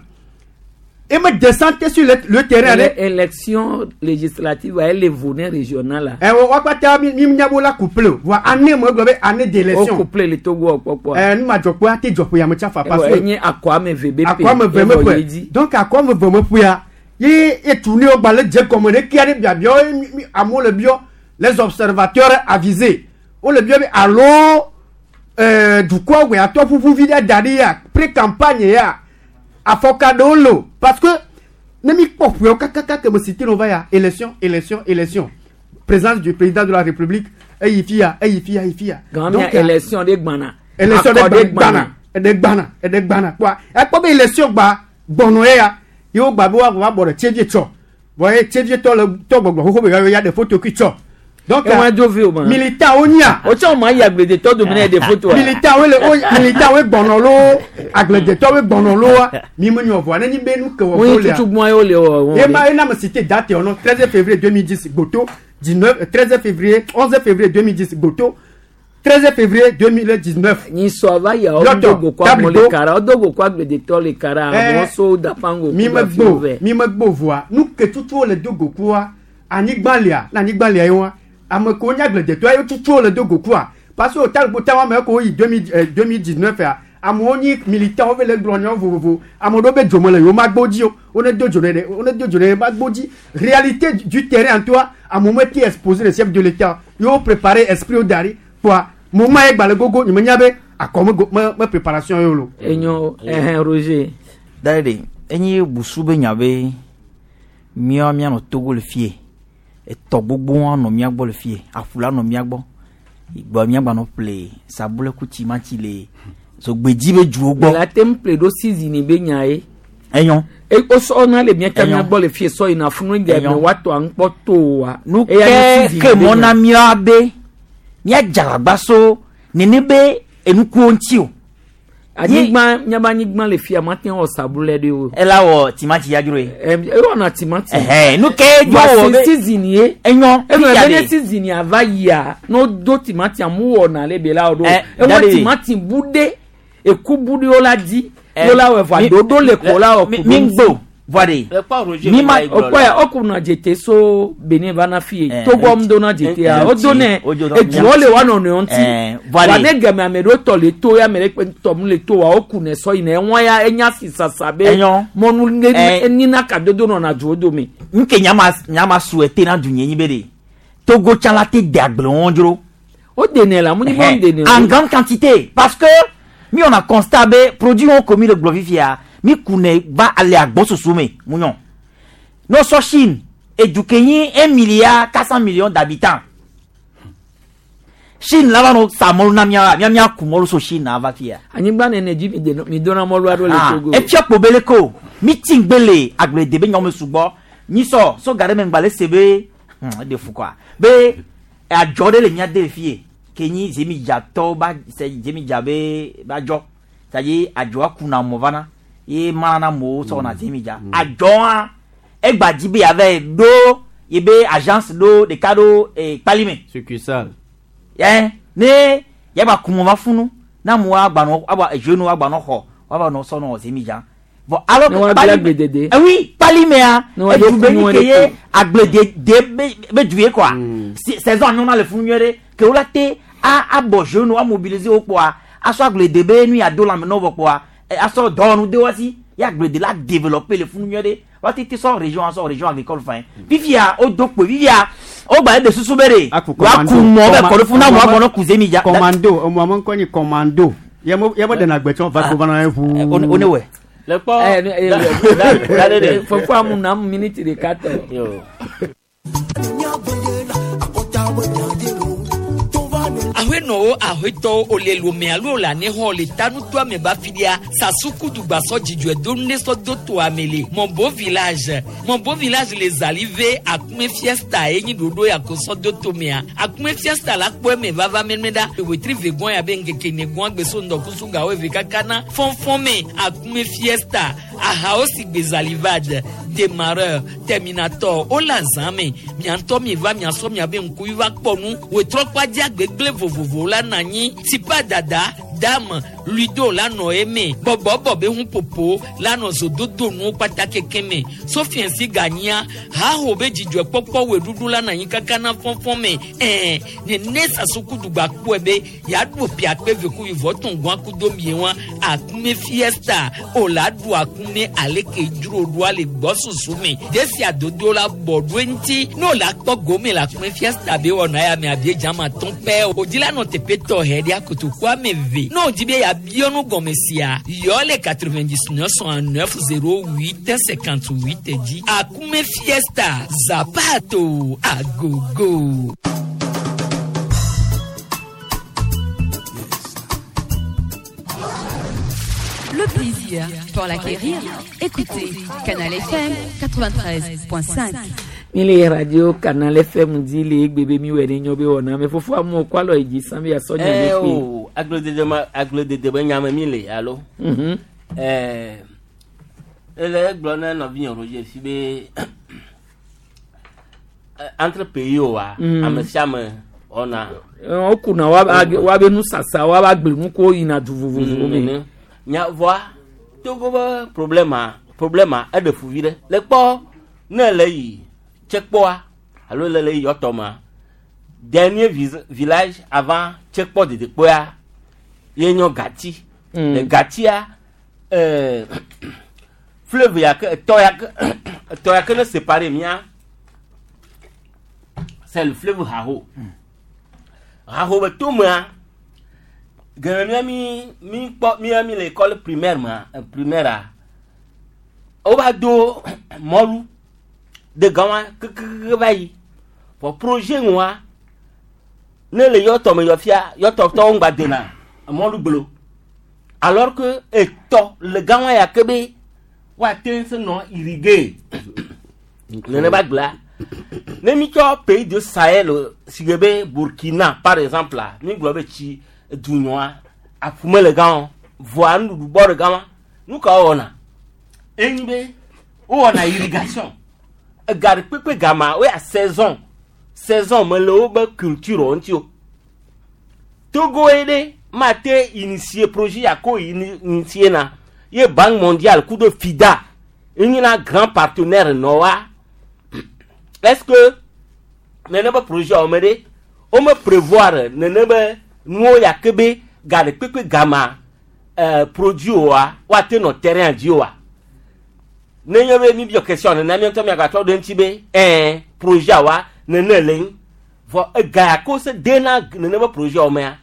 et me descend sur le terrain. Élection législative elle est volet régionale. Ɛ wa kpata mi mi nya bo la couple voa année mo gblɔ be année d'élection. O couple le Togo kpɔkpɔ. Ɛ nu ma dzɔ kpɔ ate dzɔ ƒe ya me tsa fa parce que. Enye akɔ ame ve be ƒe. Akɔ ame ve me ƒe donc akɔ ame ve me ƒe ya ye etu ne wo gba le dze gɔme ɖe kia ɖe biabiawo amewo le biɔ les observateurs avisés wo le biɔ be alo dukɔ wɛ atɔ ƒuƒu vi ɖe da ɖi ya pré campagne ya afɔka ɖewo le o parce que ne mi kpɔ ƒewo kakaka ke me cité no va ya élection élection élection présence du président de la République eyi fi ya eyi fi ya eyi fi ya. Donc élection ɖe gbana. Élection ɖe gbana ɖe gbana ɖe gbana kpɔa ekpɔ be élection gba gbɔnɔ ye ya ye wo gba be wa bɔ ɖe tsevie tsɔ vɔ ye tsevie tɔ le tɔ gbɔgbɔ xoxo be ya ɖe photo kui tsɔ. Donc militant wo nya. O tsɔ ma yi agbledetɔ dome ne ɖe photo. Militant wo le o militant wo gbɔnɔ lo agbledetɔ wo gbɔnɔ lo wa mi me nyɔ vɔa ne nyi be nu ke wɔ Wo yi tutu gbɔn ye wo le wɔ. Ye ma ye na me cité date yɔ nɔ 13 février 2010 Gboto 19 13 février 11 février 2010 Gboto 13 février 2019. Nyi sɔ va ya o dogo ko amewo le kara o dogo ko agbledetɔ le kara amewo so dapango. Mi me gbo mi me gbo vɔa nu ke tutu wo le dogo koa anyigba lia na anyigba lia ye wa. Ame ko nye agbledetɔ ye tutu wo le dogo koa parce que o ta ta wa me ko yi 2019 ya amewo nyi militant wo le gblɔ nyawo vovovo ame ɖewo be dzome le yewo ma gbo dzi o wo ne do dzo ɖe wo ne do dzo ɖe ma gbo dzi réalité du terrain en toi amewo me te exposer le chef de l'État yewo préparer esprit wo da ɖi kpoa moment ye gba le gogo nye me nya be akɔ me go me me préparation ye o lo. Enyo ɛhɛn Roger. Da ɖe enye busu be nya be míawo míanɔ Togo le fie etɔ gbogbo anɔ mía gbɔ le fie aƒu la nɔ mía gbɔ gbɔ míagba nɔ ƒle sabule ku timati le zogbedzi be dzuwo gbɔ. La te ŋu ƒle ɖo season be nya ye. Enyo. Wosɔ na le mía Enyo. mía gbɔ le fie sɔ yina funu dze Enyo. me woatɔ aŋkpɔ to wa. Nu ke ke mɔ na mía be míadze agbagba so nene be enukuwo ŋuti o. Anyigba míabe anyigba le fia mate wɔ sabulɛ ɖe o. Ela wɔ timati ya dzro ye. Ewɔna timati. Ɛhɛn, nu ke dzo wɔ be- Vɔ season ye. Enyɔ. Eŋlɔ fifia be ne ɖe. season ya va yia ne wodo timati amu wɔna le be la wo ɖo. Ɛ, Ewɔ Daddy. timati bu ɖe eku bu ɖe wo la di. Ɛ, Wo la wɔ vɔ mi- ɖoɖo le ko la wɔ mi- ku mi ɖo ŋgbo, vɔ ɖe. Mi ma- okpɔ ya okuna dzete so Benin va na fie Togo mu dona dzete ya ŋuti. o donɛ O do- eduwo le wa nɔnɔewo ŋuti Ɛ, vɔ ɖe. wa ne game ame ɖewo tɔ le to ya ame ɖe kpe tɔ mu le to wa wo kunɛ sɔ yina eŋua ya enya si sasa be Enyɔ. mɔnu ne Ɛ. enina kadodo nɔna duwo dome. Nke nyama nyama souhaité na du nyenyi be de. Togo tsã la te de agble wɔn dzro. O denɛ la, mu nyi be wo denɛ o. En grande quantité parce que mi on a constat be produit wɔn ko mi le gblɔ fifia mi kunɛ va ale agbɔsusu me mu nyɔ. N'o sɔ Chine edu ke nyi 1 milliard 400 millions d'habitants. Chine la va nɔ sa mɔlu na mía mía mía ku mɔlu so Chine na va fia. Anyigba nene dzi mi deno mi dona mɔlu aɖewo le Ah, Togo. efia kpobele ko mi ti ŋgbe le agblede be nyɔme sugbɔ nyisɔ so ga ɖe me ŋgba le se be eɖe fu kɔa be adzɔ ɖe le mía de le fie ke nyi zemidzatɔwo ba se zemidza be ba dzɔ c'est-à-dire adzɔa kuna mɔ vana ye mana na mɔwo sɔ wɔna zemidza adzɔa egba dzi be yava ɖo ye be agence ɖo ɖeka ɖo kpalime Succursale. yɛ ne yaba kumɔ va funu na mu agbanɔ aba jeune agbanɔ xɔ waba nɔ sɔnɔ zemidza bon alors Ne woagble Kpalime- agbledede. Eh oui kpalimea Ne woado edu be kunu ni ɖe ke ye ko. agbledede be be du ye quoi saison anyɔna le funu nyuie ɖe ke wola te a abɔ jeune a mobiliser wo kpoa asɔ agblede be nu ya do lãme na wo vɔ kpoa asɔ dɔwɔnu de wo si ye agblede la développer le funu nyuie ɖe wa te te sɔ région asɔ région agricole fɛn fifia o do kpo fifia o gba de susu be de wa ku mɔ bɛ kɔ ɖe funu na mɔ agbɔnɔ ku zemidza Commando, ɔmɔ ame ŋkɔ nyi commando. Yɛ mo dena gbɛtsɔ va ko va na ye ʋuu. O ne wɛ. Le kpɔ. Ɛ ne fofo amu na mu miniti ɖeka tɔ. Yo. Ahenɔwo ahetɔwo ole lome alo le anexɔ le tanutoa me ba fi ɖia sasukudugbasɔ dzidzɔe do nu ɖe sɔ do toa me le mɔbo village mɔbo village le zali ve akume fiesta ye nyi ɖoɖo ya ko sɔ do tomea akume fiesta la kpɔ eme vava mɛmɛ ɖa ewetri ve gɔn ya be ŋkeke ne gɔn gbeso ŋdɔkusu gawo eve kaka na fɔnfɔn me akume fiesta ahawo si gbe zalivad démarreur terminator wole azã me miatɔ mi va miasɔ miabe ŋkuvi va kpɔ nu wetrɔ kpadzi agbegble vovovo la nɔ anyi tipa dada dame ludo la nɔ eme bɔbɔbɔ be ŋuƒoƒo la nɔ zododo nuwo kpata keke me sofiɛnsi ganyia haho be dzidzɔkpɔkpɔ weɖuɖu la nɔ anyi kaka na fɔfɔ me ɛɛ nene sasukudugba kpɔe be yaɖu piakpe vekuvi vɔtɔn gɔn akudo mie wa akume fiesta o la ɖu akume aleke dzro ɖua le gbɔsusu me desi adodo la bɔ ɖo eŋuti ne o la kpɔ gome le akume fiesta be wɔna ya me abie dzama tɔn pɛ o dzi la nɔ teƒe tɔxɛ ɖe akotoku ame eve ne o dzi be yabiɔ nu gɔme sia yɔ le 99 69 08 58 dzi akume fiesta zapato agogo. Le plaisir pour l'acquérir, écoutez Canal FM 93.5. mi le radio canal fm dzi le egbe be mi wɔ ne nyɔ be wɔna me fofo amewo kɔ alɔ yi dzi san be asɔ nya Ɛ ɖe kpe. o agbledede ma agbledede be nyame mi le alo. Ɛɛ ele egblɔ ne nɔvinye Roger si be entre pays wa ame sia ame wɔna. Wokuna woabe nusasa woabe agblenukuwo yina du vovovowo me. Nene. Nya vɔa Togo be problema problema eɖe fu vi ɖe. Le kpɔ ne le yi tsekpɔa alo le le yi yɔtɔmea dernier village avant tsekpɔ dedekpɔa ye nyɔ Gati. Le Gatia fleuve ya ke etɔ ya ke etɔ ya ke ne séparé mía c'est le fleuve Haho. Haho be tomea gɛmɛ mía mi mi kpɔ mía mi le école primaire ma primaire a wo va do mɔlu de gama kekeke va yi vɔ projet ŋua ne le yɔtɔ me yɔ fia yɔtɔtɔwo ŋgba dena mɔlu gblo alors que etɔ le gama ya ke be Woate se nɔ irriguer nenema gblea. Ne mi tsɔ pays de Sahel si ge be Burkina par exemple la, mi gblɔ be tsi edunyɔa aƒu mele gã o, vɔa nuɖuɖu bɔ ɖe gama. Nu ka wowɔna? Enyi be wowɔna irrigation. Ega ɖe kpekpe gama woya saison. Saison mele wobe culture wo ŋuti o. Togo ye ɖe mate initier projet ya ko initier na ye Banque mondiale kudo FIDA enyina grand partenaire nɔ wa. Est-ce que nene be projet wo me ɖe wome prévoir nene be nuwo ya ke be ga ɖe kpekpe gama produit woa woate nɔ terrain dzi oa? Nenye be mi biɔ question nene mi ŋutɔ miagatrɔ ɖe ŋuti be ɛɛ projet wa nene le ŋu. Vɔ ega ya ko se dena nene be projet wo mea,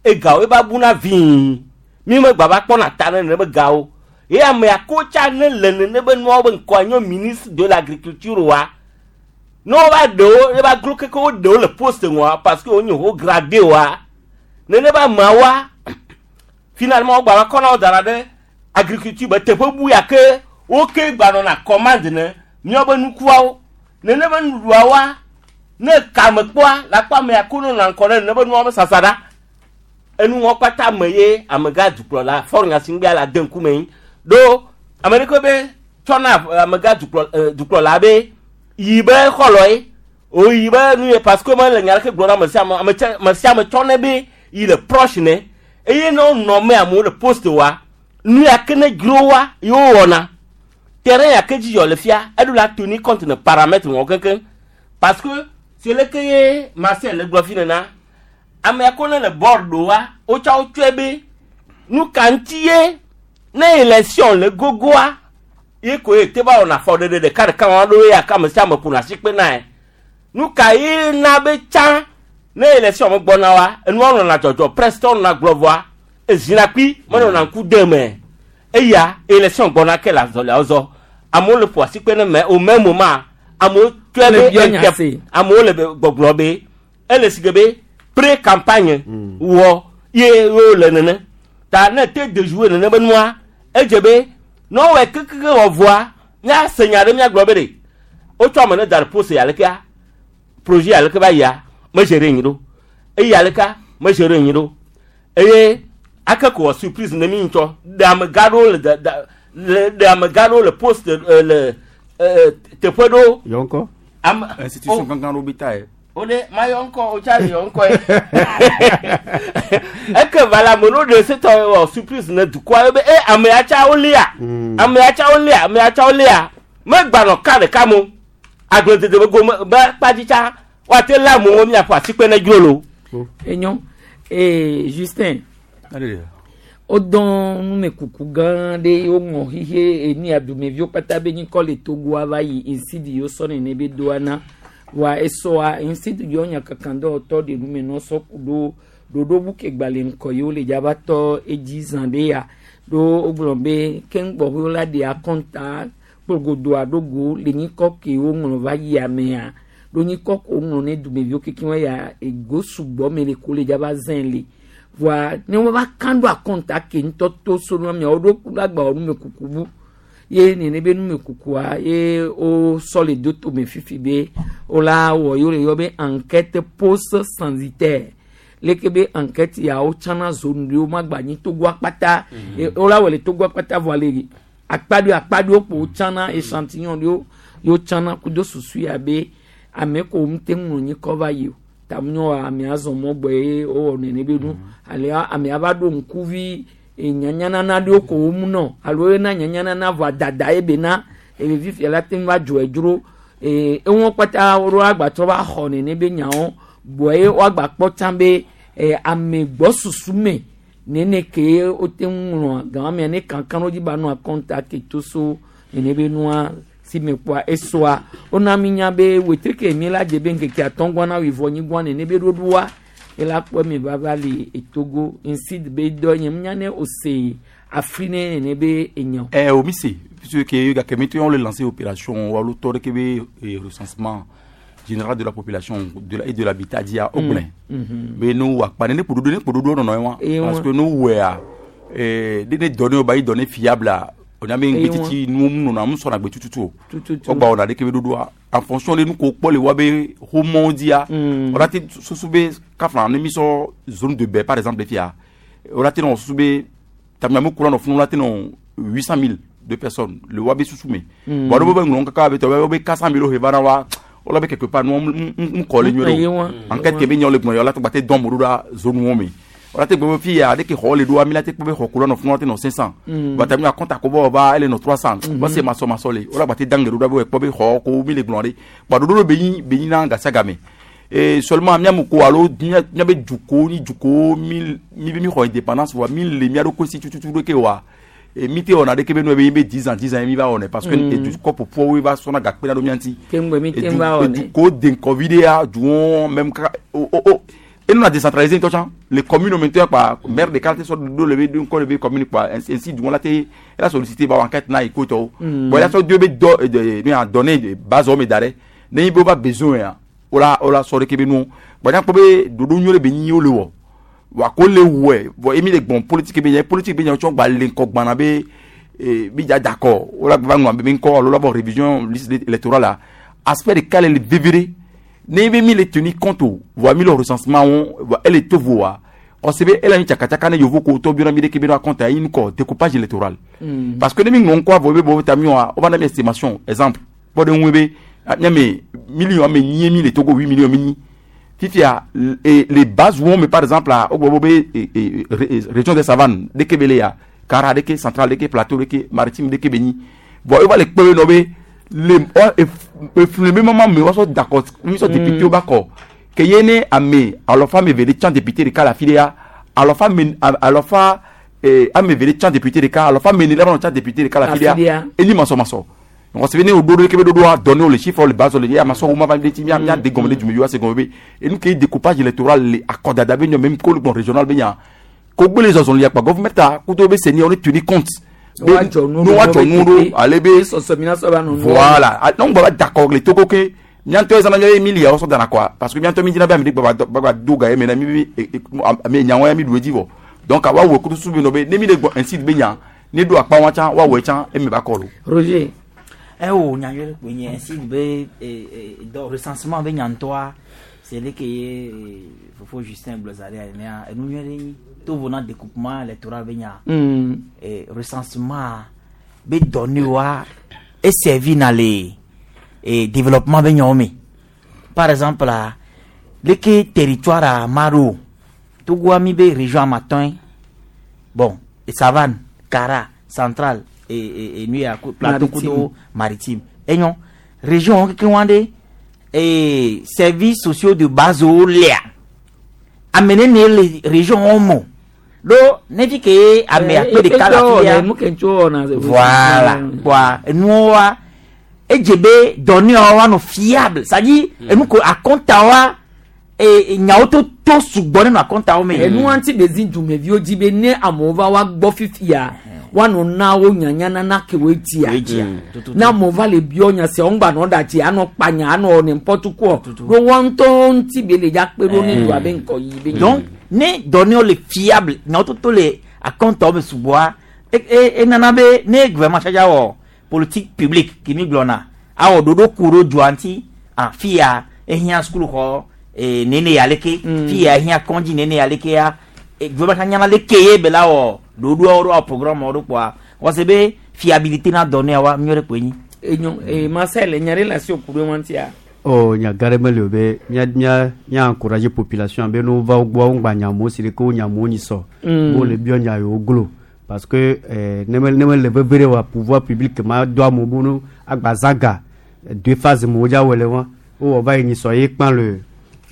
egawo eba buna vii. Mi me gba va kpɔna ta ne nene be gawo. Ye ame ya ko tsa ne le nene be nuawo be ŋkɔa nyo ministre de l'agriculture wa. Ne wo va ɖewo, eba glo keke wo ɖewo le poste ŋua parce que wo nyi haut gradé wa. Nene be ameawoa, finalement wo gba va kɔna wo da ɖe agriculture be teƒe bu ya ke wo ke gba nɔna commande ne míawo be nukuawo. Nene be nuɖuɖuawoa, ne kame kpɔa, la kpɔ ame ya ko nɔna ŋkɔ ne nene be nuawo be sasa ɖa. Enuwɔ kpata me ye amegã dukplɔla Faure Gnassingbé la de ŋkume yi. Ɖo ame ɖeke be tsɔna amegã dukplɔla be yi be xɔlɔe, o yi be nu ye parce que mele nya ɖeke gblɔ na ame sia ame, ame tse, ame sia ame tsɔnɛ be yi le proche ne. Eye ne wonɔ me amewo le poste wa, nu ya ke ne dzro wa ye wowɔna. Terrain ya ke dzi yɔ le fia, eɖo la tenir compte ne paramètre wɔn keŋkeŋ. Parce que c'est le ke ye Marcel le gblɔ fi nena. Ame ya ko ne le board ɖo wa, wotsɔ wo tsɔe be nu ka ŋuti ye ne élection le gogoa, ye ko ye te va wɔna afɔɖeɖe ɖeka ɖeka wɔna ɖo ya ke ame sia ame ƒona asi kpe nae. Nu ka ye na be tsã ne élection me gbɔna wa, enua nɔna dzɔdzɔ, presse tɔ nɔna gblɔ vɔa, ezina kpi menɔna ŋku de me. Eya élection gbɔna ke le azɔliawo zɔ. Amewo le ƒo asi kpe ne me au même moment amewo tsɔe Le be biɔ nya se. amewo le gbɔgblɔ be ele si ke be pré campagne wɔ ye wo le nene. Ta ne te de jouer nene be nua, edze be ne wowɔe kekeke wɔ vɔa, míase nya ɖe míagblɔ be ɖe wotsɔ ame ne da ɖe poste ya lekea, projet ya leke va yia, medze ɖe anyi ɖo. Eyi ya lekea, medze ɖe anyi ɖo. Eye ake ko wɔ surprise ne mi ŋutɔ. Ɖe amegã ɖewo le da, da, le, ɖe amegã ɖewo le poste, le, teƒe ɖewo. Yɔ ŋkɔ. Ame, Institution oh. gãgã ɖewo be ta ye. O ɖe, mayɔ ŋkɔ, o tsa yɔ ŋkɔ ye. Eke va la, ame ɖewo ɖe setɔ wɔ surprise ne dukɔa be, e, ame ya tsa wolia. Ame ya tsa wolia, ame ya tsa wolia. Megbanɔ ka ɖeka mo. Agbledede be gome, be kpadzi tsa, woate lé amewo miaƒo asikpe ne dzro lo. Enyo. Ee, Justin. Wodɔ numekuku gã ɖe woŋlɔ xixe enu ya dumeviwo kpata be nyikɔ le Togoa va yi insidi yiwo sɔ nene be doa na. Vɔa esɔa insidi yiwo nya kakan dɔwɔtɔ ɖe nume nɔ sɔ ku ɖo ɖoɖo bu ke gba le ŋkɔ yiwo le dzava tɔ edzi zã ɖe ya. Ɖo wogblɔ be keŋ gbɔxɔe wola ɖe akɔnta kplogodoa ɖo go le nyikɔ ke woŋlɔ va yi amea. Ɖo nyikɔ ko woŋlɔ ne dumeviwo kekeŋ ya ego sugbɔ me le ko le dzava zẽ le. Vɔa ne wova kan ɖo akɔnta ke ŋutɔ to so nua miawo ɖo ku ɖo agba wɔ numekuku bu. Ye nene be numekukua ye wo sɔ le do tome fifi be wola wɔ yewo le yɔ be enquête post censitaire. Leke be enquête ya wo tsana zone ɖewo magba nyi Togo akpata. Ye wola wɔ le Togo akpata vɔa le akpa ɖewo akpa ɖewo kpo wotsana échantillon ɖewo ye wotsana kudo susu ya be ame ko ŋute ŋlɔ nyikɔ va yi o. Ta nyɔ amea zɔ mɔ gbɔ ye wowɔ nene be nu. Ale amea va ɖo ŋkuvi nyanyanana ɖewo ko wo mu nɔ alo yena nyanyanana vɔa dada ye be na eye fifia la te ŋu va dzɔe dzro. Eŋuwo kpata woɖo agbatrɔ va xɔ nene be nyawo gbɔ ye woagba kpɔ tsã be ame gbɔ susu me nene ke wote ŋu ŋlɔ gamea ne kankan ɖo dzi ba nɔ akɔnta ke to so nene be nua si me kpɔa esɔa wona mi nya be wetri ke mi la dze be ŋkeke atɔ̃ gbɔ na wuivɔ nyigba nene be ɖoɖoa ela kpɔ mi va va le Togo insid be dɔ nye nya ne ose afri ne nene be enya. O mi se puisque que gake mi to on le lancer opération walo tɔ ɖe ke be recensement général de la population de la, et de l'habitat dia o gblẽ. Be no wa kpa ne kpoɖoɖo ne kpoɖoɖo nɔnɔ ye wa. Ye wa. Parce que no wɛa ne dɔ ne ba yi dɔ ne fiable a Onya be Eye ŋgbetiti nuwo mu nɔna mu sɔna gbe tututu o. Tututu. Wogba wɔna ɖeke be ɖoɖoa en fonction de nu ko kpɔ le wa be xomɔwo dzia. Wòla te susu be kafla ne mi sɔ zone de bɛ par exemple fia. Wòla te nɔ susu be tamiamu kura nɔ funu wòla te nɔ 800 000 de personnes le wa be susu me. Bon ɖo be ŋlɔ kaka be tɔ be 400 000 he va na wa. Wòla be quelque part nu mu kɔ le nyuie Eye ɖo. wa. Enquête ke be nyɔ le gbɔn yɔ la te gba te dɔn mo ɖo ɖa zone wo me. Wòla te gbɔ be fia ɖeke xɔ le ɖoa mi la te kpɔ be xɔ kura nɔ funu wòla te nɔ 500. Bon tami compte akobo va ele no 300. Bon c'est maso maso le. Wòla gba te dange ɖo ɖa be kpɔ be xɔ ko mi le gblɔ ɖe. Bon ɖoɖo be nyi be nyi na gasiagame. Et seulement miamu ko alo mia mia be duko ni duko mi mi be mi xɔ indépendance wa mi le mia ɖo ko si tututu ɖo ke wa. Et mi te wɔna ɖeke be nu be mi be 10 ans 10 ans mi va wɔnɛ parce que edu kɔpu ƒuwo va sɔna gakpe na ɖo mia ŋuti. Keŋgbe mi te va wɔnɛ. Eduko denkɔvi ɖea duwo même kaka o o o et nous a décentralisé ŋutɔ tsã les communes maintenant kpa maire de quartier sɔ do le be do ŋkɔ le be commune kpa ainsi ainsi duwo la te ela sollicité ba enquête na eko tɔwo. Bon ela sɔ do be dɔ de mi a donné de base wo me da ɖe ne yi be wo va besoin ya wola wola sɔ ɖeke be nu bon nya kpɔ be ɖoɖo nyuie ɖe be nyi wo le wɔ wa ko le wɔe bon emi le gbɔn politique be nya politique be nya tsɔ gba le ŋkɔ gbana be eh, mi dza d'accord wola gba ŋlɔ be ŋkɔ alo la bɔ révision liste électorale la aspect ɖeka le le veve ɖe ne be mi le tenir compte o voa mi le recensement wo voa ele to voa ɔsi be ele anyi tsakatsaka ne yovo ko tɔ biɔna mi ɖeke be ɖo compte ayi ŋkɔ découpage électoral. Parce que ne mi ŋlɔ ŋkɔ avɔ be bɔ ta mi wa wo va na mi estimation exemple kpɔ ɖe ŋu be miame million ame nyi mi le Togo 8 millions mi nyi fifia et les bases wo me par exemple a wo gbɔ be région des savanes ɖeke be le ya Kara ɖeke central ɖeke plateau ɖeke maritime ɖeke be nyi bon wo va le kpe be nɔ be le ɔ efli be mama me woasɔ d'accord mi sɔ député wo ba kɔ ke ye ne ame alɔfa ame eve ɖe tsã député ɖeka le afi ɖe ya alɔfa ame alɔfa ame eve ɖe tsã député ɖeka alɔfa ame ene ɖe va nɔ tsã député ɖeka le afi Afi ɖe ya ɖea. eni masɔmasɔ mɔgɔ sɛbɛn ne o ɖo ɖeke be ɖoɖoa donné o le chiffre le base le ye amasɔ wo ma va ɖe ti mia mia de gɔme ɖe dumeviwo ase gɔme be enu ke découpage électoral le akɔdada be nyɔ même ko le gbɔn régional be nya ko gbele zɔzɔn le yakpa gɔvumɛta kudo be seni on tenir compte. Be- Woadzɔ nu ne woadzɔ nu ɖo ale be sɔsɔ mi na sɔ va nɔ nu. voilà Ah, donc baba d'accord le Togo ke miantɔ ezana miabe mili yawo sɔ dana quoi parce que miantɔ mi dzina be ame ɖe gbagba gbagba do ga ye me na mi bi ame nyawo ya mi ɖu edzi vɔ donc awa wɔ kutu su be nɔ be ne mi le gbɔ ainsi be nya ne do akpa wa tsã woawɔe tsã eme ba kɔ lo. Roger. Eh oh, nya yɔ kpe nye ainsi be dɔ recensement be nya ŋutɔa c'est le ke ye fofo Justin gblɔ za ɖe enea enu nyuie ɖe nyi to vo na découpement électoral be nya. Recensement be données-wa e servi na le développement be nyawo me. Par exemple la leke territoire a ma ɖo Togoa mi be région amatɔ̃e bon savane Kara centrale et nu ya plateau Maritime. kudo maritime enyo région wo kekeŋ wa ɖe services sociaux de base wo lea ame nene le région wo me o. Ɖo ne fi ke ame akpe ɖeka le afi ɖea Nu ke ŋutsu wɔna. voilà quoi enuwo wa edze be dɔnniawo wa nɔ fiable c'est à dire enu ko akɔnta wa nyawo to to sugbɔ ne nɔ akɔntawo me. Enu ŋuti be zi dumeviwo dzi be ne amewo va wa gbɔ fifia woanɔ na wo nyanya nana ke woe dzia. Woe dzia. Ne amewo va le biɔ nya sia wo ŋgba nɔ ɖa dzi anɔ kpa nya anɔ n'importe quoi. Ɖo woa ŋutɔ ŋuti be le dza kpe ɖo ne dua be ŋkɔ yi be. donc ne dɔnniawo le fiable nyawo to to le akɔntawo me sugbɔa enana be ne gouvernement tsatsa wɔ politique publique kimi gblɔna awɔ ɖoɖo ku ɖo dua ŋuti ah fia ehiã sukuluxɔ nene ya leke fia ehiã kɔndzi nene ya leke ya gouvernement tsatsa nyana leke ye be la wɔ ɖoɖoawo ɖo awɔ programme ɖo kpoa wɔse be fiabilité na dɔnniawoa nyuie ɖe koe nyi. Enyo Marcel nya ɖe le asi wò ku ɖe ŋutia. Oh, nya gã ɖe meli o be mía mía mía encourager population be ne wova wo gbɔ wo ŋgba nya amewo si ɖeke wo nya amewo nyi sɔ. Wo le biɔ nya yewo glo parce que ne me ne me le veve ɖe wa pouvoir public ma do amewo be no agba zã ga deux phases me wodza wɔe le wa wowɔ va yi nyi sɔ ye kpã le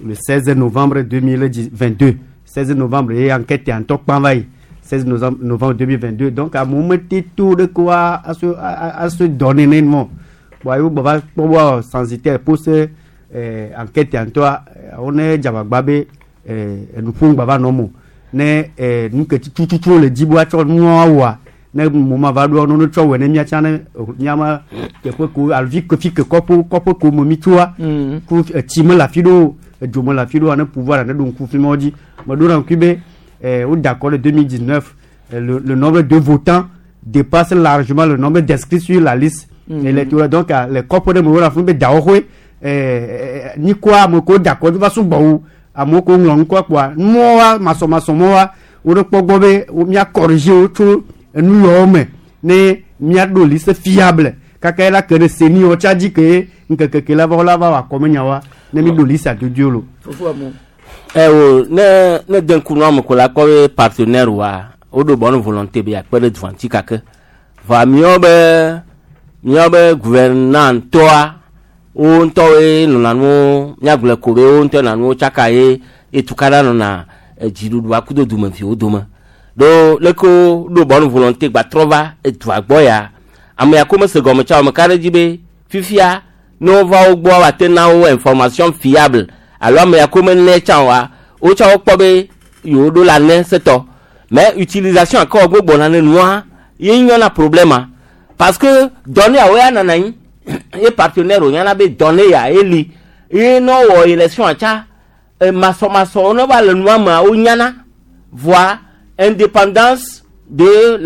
le 16 novembre 2022 16 novembre ye enquête ya ŋutɔ kpã va yi 16 novembre 2022 donc amewo mete to ɖeke wa aso aso dɔ nene mɔ bon ayi wo gbɔ va kpɔ bɔ censitaire pose enquête ya ŋutɔa wo ne dzagbagba be enuƒo ŋgba va nɔ mo ne nu ke tututu le dzi be woatsɔ nua wɔa ne mo ma va ɖoa ne tsɔ wɔe ne míatsã ne míama teƒe ko alo fi ke fi ke kɔƒe kɔƒe ko me mi tsoa ku etsi me le afi ɖewo edzo me le afi ɖewoa ne pouvoir ne ɖo ŋku fi ma dzi meɖo na ŋkui be wo da akɔ le 2019 le nombre de votants dépasse largement le nombre d'inscrits sur la liste électorale. Donc le kɔƒe ɖe me wole afi be dawɔƒe nyikɔa ame ko da kɔ va sugbɔ wu amewo ko ŋlɔ ŋkɔ kpoa numɔwa masɔmasɔmɔwa wo ɖe kpɔ gbɔ be mía corriger wo tso enu yawo me ne míaɖo liste fiable kaka la ke ɖe seni wo tsa dzi ke ŋkeke ke la va wo la va wɔ akɔmenyawoa ne mi ɖo liste adodoe lo. Ɛ wo ne de ŋku nua me ko la kpɔ be partenaire wa woɖo bonne volonté be akpe ɖe dua ŋuti kake vɔa míawo be gouvernantɔa wo ŋutɔwoe nɔna nuwo míagblɔe ko be wo ŋutɔ nɔna nuwo tsaka ye ye tukaɖa nɔna dziɖuɖua kudo dumeviwo dome ɖo leke wo ɖo bonne volonté gba trɔ va edua gbɔ ya ame ya ko mese gɔme tsa o meka ɖe dzi be fifia ne wova wo gbɔ woate na wo information fiable alo ame ya ko mene tsã oa wotsã wokpɔ be yewo ɖo la ne setɔ mais utilisation akɔ gbogbo na ne nua ye nyɔna problème a parce que données awo ya nana anyi ye partenaire wònyana be données ya eli ye ne wɔ élection atsa masɔmasɔ ne va le nua mea wonyana voa indépendance de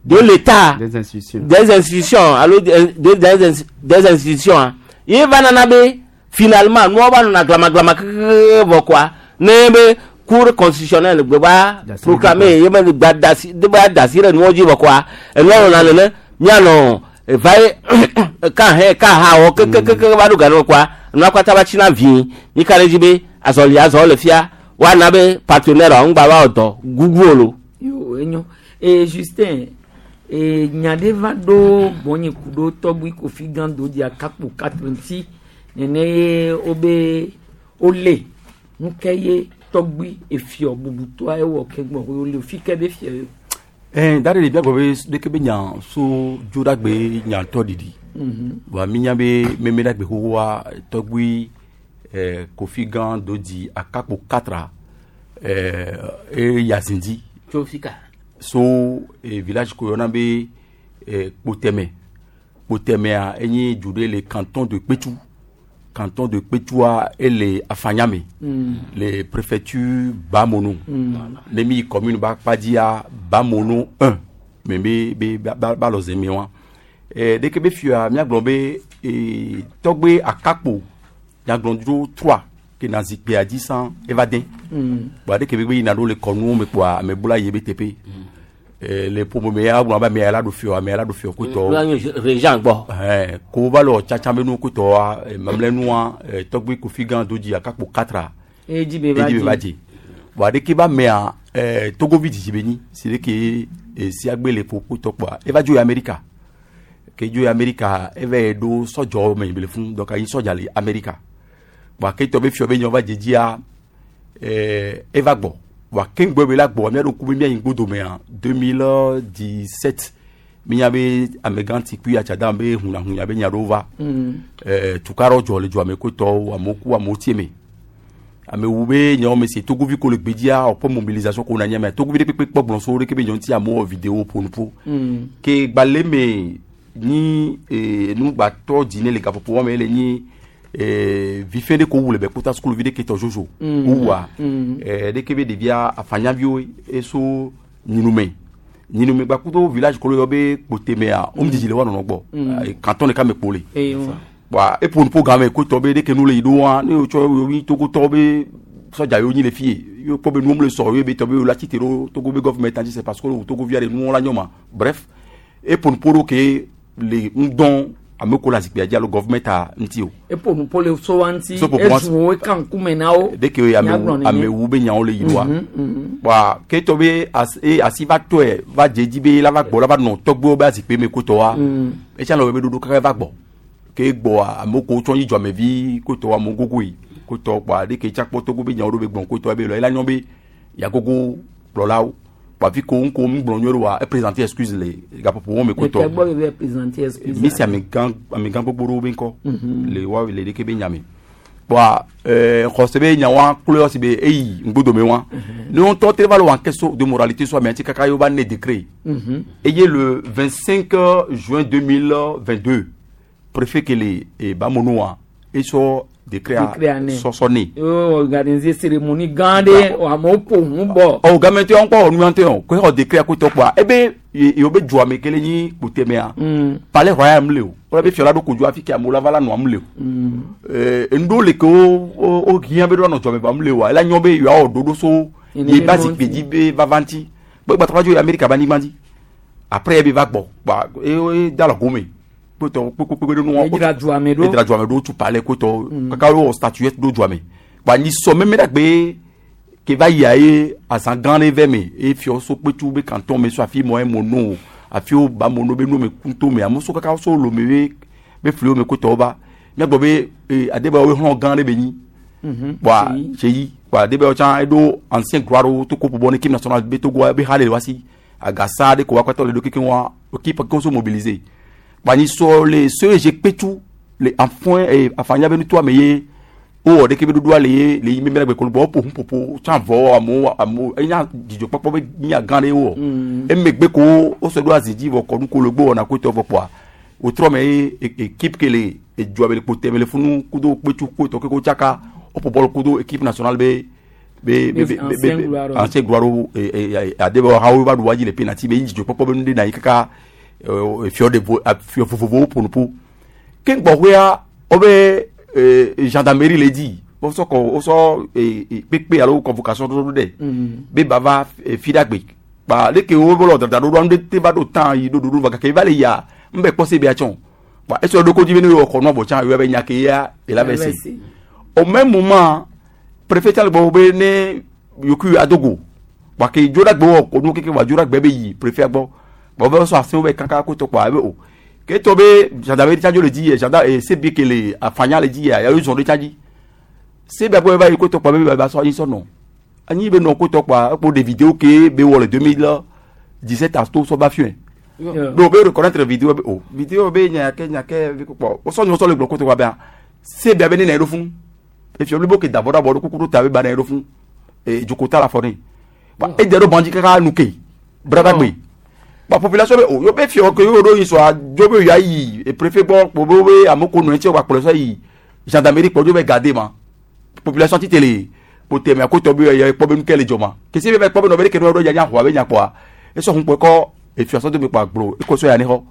l'État des institutions des institutions alo des institutions ah ye va nana be finalement nuwo va nɔna glamaglama kekeke vɔ koa ne be cour constitutionnelle gbe va proclamer ye be gba dasi de ba dasi ɖe nuwo dzi vɔ koa enuwo nɔna nene mianɔ va ye ka hɛ ka ha wɔ kekekeke va ɖo gane koa nua kpata va tsina vi mi ka ɖe dzi be azɔli azɔ le fia woana be partenaire ŋgba va wɔ dɔ gugu o lo. Yo enyo e Justin e nya ɖe va ɖo gbɔnye ku ɖo tɔgbui Kofi Gando di akakpo quatre ŋuti nene ye wobe wole nuke ye tɔgbui efiɔ bubutɔa ewɔ ke gbɔ wole fi ke be fiɔ yo. Da ɖe ɖevia gblɔ be ɖeke be nya so dzoɖagbe nyatɔ ɖiɖi. Wa mi nya be meme ɖagbe xoxoa tɔgbui Kofi Gã do di akakpo katra e yazindi. Tso fi ka? So village ko yɔna be Kpotɛmɛ. Kpotɛmɛa enye du ɖe le canton de Kpetu. Canton de Kpetua ele Afanyame. Le préfecture Bamono. Ne mi commune ba kpadzia Bamono 1. Me be be ba ba, ba lɔ zeme wa. Ɖeke be fia míagblɔ be tɔgbe akakpo nyagblɔdro 3 ke na zikpea dzi san eva den. Bɔn ɖeke be yina ɖo le kɔnuwo me kpoa ame bula yi be teƒe. Le ƒome me ya gblɔ be ame ya la ɖo fiɔ ame ya la ɖo fiɔ kotɔ. Nua nye régent gbɔ. Ɛɛ ko va le tsatsa be nu kotɔa mamlɛnua tɔgbe Kofi Gã do dzi akakpo katra. Edzi be va Edzi be va dzi. Bɔn ɖeke ba mea Togovi dzidzi be nyi si ɖeke siagbe le ƒo kotɔ kpoa eva dzo yi Amerika. Ke dzo yi Amerika eva yi ɖo sɔdzɔ me le fún donc ayi sɔdza le Amerika. Bɔn aketɔ be fiɔ be nyɔ va dzedzia eva gbɔ. Bɔn akeŋgbɔ be la gbɔ mía ɖo ku be mía yi ŋgbodomea 2017 mínya be amegã tikui atsada be hunahunya be nya ɖewo va. Tukaɖewo dzɔ le dua me kotɔwo amewo ku amewo tie me. Amewo be nyawo me se Togovi ko le gbedzia ɔkpɔ mobilisation ko na nye me Togovi ɖe kpekpe kpɔ gblɔ so ɖeke be nyɔ ŋuti amewo wɔ vidéo ƒo nuƒo. Ke gbalẽ me nyi nugbatɔ dzi ne le gaƒoƒo wɔme le nyi vife ɖe ko wu le be kpota sukuluvi ɖe ke tɔ zozo. Wowua ɖeke be ɖevia afanyaviwo eso nyinume. Nyinume gbakudo village ko le yɔ be Kpotemea wo dzidzi le woanɔnɔ gbɔ. Canton ɖeka me kpo le. Bɔn eƒo nuƒo game kotɔ be ɖeke nu le yi ɖo wa ne wotsɔ yewo nyi Togotɔwo be sɔdza yewo nyi le fie yewo kpɔ be nuwo le sɔ ye be tɔ be yewo la tsi te ɖo Togo be gouvernement dzi c'est parce que wo Togovia ɖe nuwo la nyɔ ma bref eƒo nuƒo ɖo ke le ŋdɔn ame ko le azikpuia dzi alo gouvernement ŋuti o. Eƒo nuƒo le so wa ŋuti So ƒo ezu wo kan ŋkume na wo. Ɖeke Míagblɔ nene. Amewu be nyawo le yi ɖoa. Bɔn ketɔ be asi va tɔe va dze dzi be la va gbɔ la va nɔ tɔgbewo be azikpui me kotɔa. Etsa le wɔ be ɖoɖo kaka va gbɔ. Ke gbɔa amewo ko tsɔ nyi dzɔmevi kotɔ amewo gogo yi kotɔ kpoa ɖeke tsa kpɔ Togo be nyawo ɖo be gbɔn kotɔ be lɔ ela nyɔ be yagogo kplɔlawo. Kpoa fi ko ŋko ŋgblɔ nyuie ɖoa e présenter excuse le gaƒoƒo wɔme kotɔ. Eke gbɔ be be présenter excuse. Mi si amegã gbogbo ɖewo be ŋkɔ le wa le ɖeke be nyame. Kpoa xɔse be nyawoa kloe si be eyi ŋgbodome wa. Ne ŋutɔ te va le wɔ enquête so de moralité so amea ŋuti kaka ye wo va ne décret. Eye le 25 juin 2022 préfet ke le Bamonoa esɔ décret Décret a nɛ. sɔsɔ ne. Yo organiser cérémonie gã ɖe amewo ƒo ʋu bɔ. Ɔ game tɛ ŋkɔ nu ŋutɔ yɔ ko xɔ décret ko tɔ kpoa ebe yewo be dua me kele nyi kpotemea palais royal mu le o wala be fiɔ la ɖo kodzo afi ke amewo la va la nɔa mu le o. Ŋɖewo le ke wo wo wo hiã be ɖo anɔ dzɔme va mu le oa ela nyɔ be yewoawɔ ɖoɖo so Ene ye be ba mɔ zikpui ŋuti. dzi be vava ŋuti gbɛgbɛ trɔ dzo yi Amerika ba anyigba dzi après ebe va gbɔ kpa eye da le gome kpetɔ kpekpekpe ɖe nua Edzra dua me ɖo. edzra dua me ɖo tu palais kpetɔ kaka wowɔ statuette ɖo dua me kpa nyi sɔ meme ɖe gbe ke va yia ye azã gã ɖe vɛ me eye fiɔ so kpetu be canton me so afi mɔ ye mono afi wo ba mono be nu me kunto me amewo so kaka so lome be be fliwo me kpetɔwo va míagbɔ be adebe wo hlɔ̃ gã ɖe be nyi kpoa tseyi kpoa adebe wo tsã eɖo ancien gloire wo to ko ƒoƒo ne équipe nationale be Togo be ha le wa si agasa ɖe ko wa kpatɔ le ɖo kekeŋ wa équipe ke wo so mobiliser kpoa nyi sɔ le CEG kpetu le afɔe afanya be nutoa me ye wowɔ ɖeke be ɖoɖoa le ye le yi mímɛ ɖe gbekolo bɔ woƒo ʋuƒoƒo tsã vɔ amewo amewo enya dzidzɔkpɔkpɔ be nya gã ɖe wowɔ emegbe ko wosɔ ɖo azi dzi vɔ kɔnu ko le gbɔ wɔna kotɔ vɔ kpoa wotrɔ me ye équipe ke le edua me le kpote me le funu kudo kpetu kotɔ ke ko tsaka woƒo bɔlu kudo équipe nationale be be be be Ancien be gloire. ancien gloire ade be hawo va ɖu wa dzi le penalty be yi dzidzɔkpɔkpɔ be nu ɖe na yi kaka fiɔ de vo fiɔ vovovowo ƒo nu ƒu ke gbɔxɔea wobe gendarmerie le dzi wosɔ kɔ wosɔ kpekpe alo convocation ɖoɖo ɖe be bava fiɖagbe kpa leke wo lɔ dada ɖoɖoa nu ɖe te va ɖo tan yi ɖoɖoɖo va gake va le yia ŋbɛ kpɔ se bia tsɔn kpa esi ɖo ko dzi be ne yɔ xɔ nua bɔ tsã yɔ be nya ke ya ela bɛ se au même moment préfet tsã le gbɔ be ne yokui adogo kpa ke dzoɖagbe wɔ ko nu keke wa dzoɖagbe be yi préfet gbɔ kpa wo be sɔ asiwo be kaka ko tɔ kpa ebe o ke tɔ be gendarmerie tsã dzo le dzi yɛ gendarme CB ke le afanya le dzi yɛ yawo zɔn ɖe tsã dzi CB gbɔ va yi ko tɔ kpa be ba sɔ anyi sɔ nɔ anyi be nɔ ko tɔ kpa ekpo de vidéo ke be wɔ le 2017 ato sɔ ba fiɛ donc be reconnaître vidéo be o vidéo be nya ke nya ke be ko kpɔ wosɔ nyɔ sɔ le gblɔ ko tɔ kpa bea CB be ne na yi ɖo fún efiɔ blibo ke dabɔ dabɔ ɖo kuku ɖo ta be ba na yi ɖo fún e dzokota la fɔ ne ba edze ɖo bandzi kaka nu ke bradagbe ba population be o yo be fiɔ ke yo ɖo yi sɔa dzo be ya yi e préfet gbɔ kpo be be ame ko nɔ ŋuti wa kplɔ sɔ yi gendarmerie kpɔ dzo be gade ma population ti te le kpo tɛmɛ ko tɔ be ya kpɔ be nu ke le dzɔ ma kesi be kpɔ be nɔ be ɖeke nɔ ɖo ya nya xɔa be nya kpɔa esɔ hun kpɔ kɔ efiɔ sɔ do be kpɔ agblo eko sɔ ya ne xɔ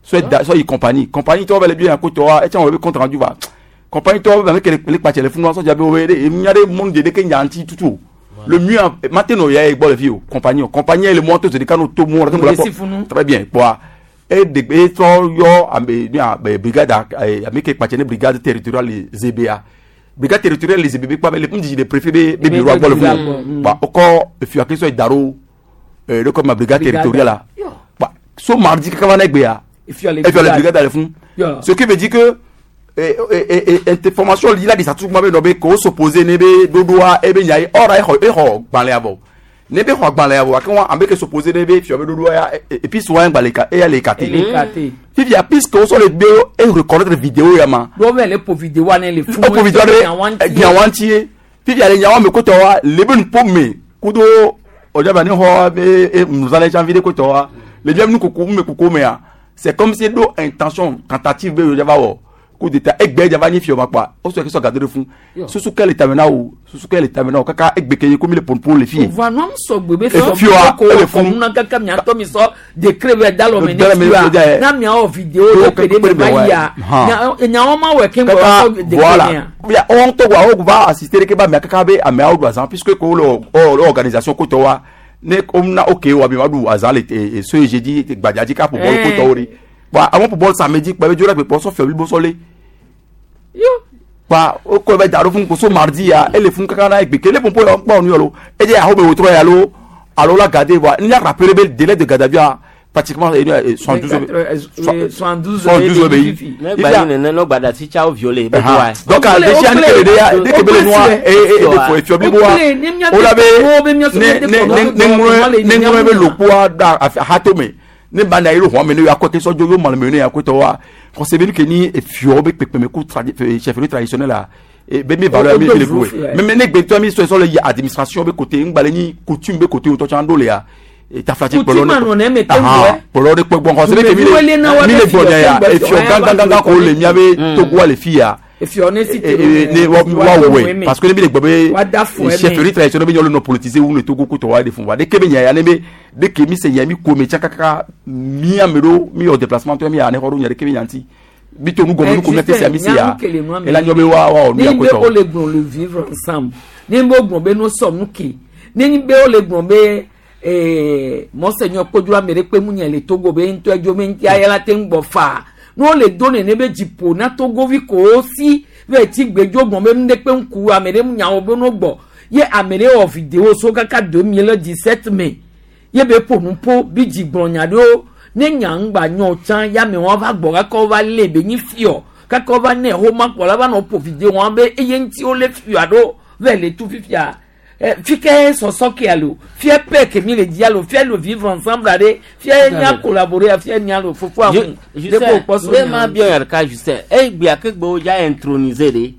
sɔ da sɔ yi compagnie compagnie tɔ be le bi ya ko tɔ wa etsã wɔ be compte rendu va compagnie tɔ be ame ke le kpatsɛ le funu sɔ dza be wo be ɖe nya ɖe mɔnu de ɖeke nya ŋuti tutu o le mieux maintenant ya ye gbɔ le fi o compagnie o compagnie ye le mɔ to zi ɖeka no to mɔ ɖe Mo le si funu. très bien kpɔa e de e trɔ yɔ ame nua be brigade ame ke kpatsɛ ne brigade territoriale le ZBA brigade territoriale le ZBA be kpa be le ŋdidi de préfet be be bureau gbɔ le funu kpa wokɔ efia ke sɔ yi da ɖo ɖe kɔ ma brigade Brigade. territoriale la kpa so mardi kaka va ne gbea Efia le efia le brigade. brigade le funu Yeah. ce qui veut dire que information li la di satu kuma be nɔ be ko s'opposer ne be ɖoɖoa ebe nya ye ɔra exɔ exɔ gbalẽa vɔ ne be xɔ agbalẽa vɔ ake wa ame ke s'opposer ne be fiɔ be ɖoɖoa ya et puis souvent gbalẽ ka eya le écarté Ele écarté. fifia puisque wosɔ le be e reconnaître vidéo ya ma Ɖo be le ƒo vidéo wa ne le funu. o vidéo ɖe nyawa ŋuti ye fifia le nyawa me kotɔ wa le be nuƒo me kudo ɔdzaba ne xɔ be e nuzalɛ tsã vi ɖe kotɔ wa le bia nukoko me koko mea c'est comme si ɖo intention tentative be yodza va wɔ coup d'état egbe dza va nyi fiɔ ma kpoa wosɔ ke sɔ gado ɖe fún susu ke le tame na wo susu ke le tame na wo kaka egbe ke ye ko mi le ponpo le fi ye Voa nua sɔgbe be Efioa, ko ele funu. kɔmuna kaka miatɔ mi sɔ décret bɛ da lɔ me Da lɔ me ne ne fia. fia na miawɔ vidéo Yo, ɖe pe ɖe kpe me ɖe va me yia wa. nyawo ma wɔ keŋ kaka sɔ décret voilà mea. Bia, on to wa o va assister ke ba mea kaka be ameawo ɖu azã puisque ko le o le organisation ko tɔ wa ne ko na ok wa mi ma ɖu azã le ce jeudi gbadza dzi ka ƒo bɔl ko tɔwo ɖi kpa amewo ƒo bɔl samedi kpa be dzo ɖe gbe kpɔ sɔ fiɔ blibo sɔ le kpa o ko bɛ da ɖo fún ko so mardi ya ele fún kaka na egbe ke le popo ya kpɔ nu yɔ lo edze aho be wotrɔ ya lo alo la gade wa n y'a rappelé be délai de garde à vue a pratiquement 72 72 be yi Ne gba yi nene no gbada si tsa wo violé be Aha. doa. Donc, à déjà, ne kele de ya, ne kele noa, e e e fo efiɔ blibo wa, o la be ne ne ne ne ŋlɔ ne ŋlɔ be lokpoa da hato me, ne ba na yi lo hɔn me ne ya kɔ ke sɔdzo yo maleme ne ya ko tɔ wa, kɔsebe ke ni efiɔ be kpekpeme ku tradi chefferie traditionnelle la, e be mi valeur mi le boué. Mais ne gbetɔ mi sɔ sɔ le yi administration be côté, ŋgbalẽ ni coutume be côté wotɔ tsã ɖo le ya. Taflatsi Coutume kplɔ anɔ ne me te ŋgɔe. kplɔ ɖe kpɔ gbɔn kɔsebe ke mi Dumeviwo le na wa le mi be le gbɔ fiɔ nya ya ke efiɔ gbɔ gãgãgã ko le miabe Mm. Togoa le fi ya. Efiɔ ne si te ne wa wɔe parce que ne bi le gbɔ be chefferie traditionnelle be nyɔnu nɔ politiser wu le Togo kotɔ wa de fun wa de ke be nya ya ne be de ke mi se nya mi ko me tsa kaka mi ame ɖo mi wɔ déplacement tɔ mi ya ne xɔ ɖo nya de ke be nya ŋuti mi to nu gɔme nu ko mi te se mi se ya ela nyɔ be wa wa nu ya kotɔ. Ni be wo le gblɔ le vivre ensemble ni be wo gblɔ be no sɔ nu ke ni be wo le gblɔ be monseigneur Kodjo ame ɖe kpe mu nye le Togo be ŋutɔ edzo me ŋuti ayala te ŋgbɔ faa ne wole do nene be dziƒo na togovi kowo si ve tsi gbedzo gbɔn be nu ɖe kpe ŋku ame ɖe nyawo be no gbɔ ye ame ɖe wɔ video so kaka 2017 me ye be ƒo nu ƒo bi dzi gblɔ nya ɖewo ne nya ŋgba nyɔ tsã ya me wɔn va gbɔ kaka wova lé be nyi fiɔ kaka wova ne xoma kpɔ la va nɔ ƒo video wɔn be eye ŋuti wole fiɔ ɖo ve le tu fifia fike sɔsɔ ke alo fia pɛ ke mi le di alo fia le vivre ensemble aɖe fia nya collaborer fia nya le fofo ahu de ko kpɔ so nya. ma biɔ yàrá ka Justin eyi gbea ke gbe wodza introniser de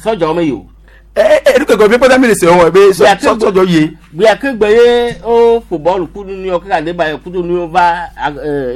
sɔdza me yi o. Ee nu keke mi kpɔta mi le se wɔ ebe sɔdzɔ ye. Gbea ke gbe ye wo fo bɔlu kudu nu yɔ kaka de ba yɔ kudu nu yɔ va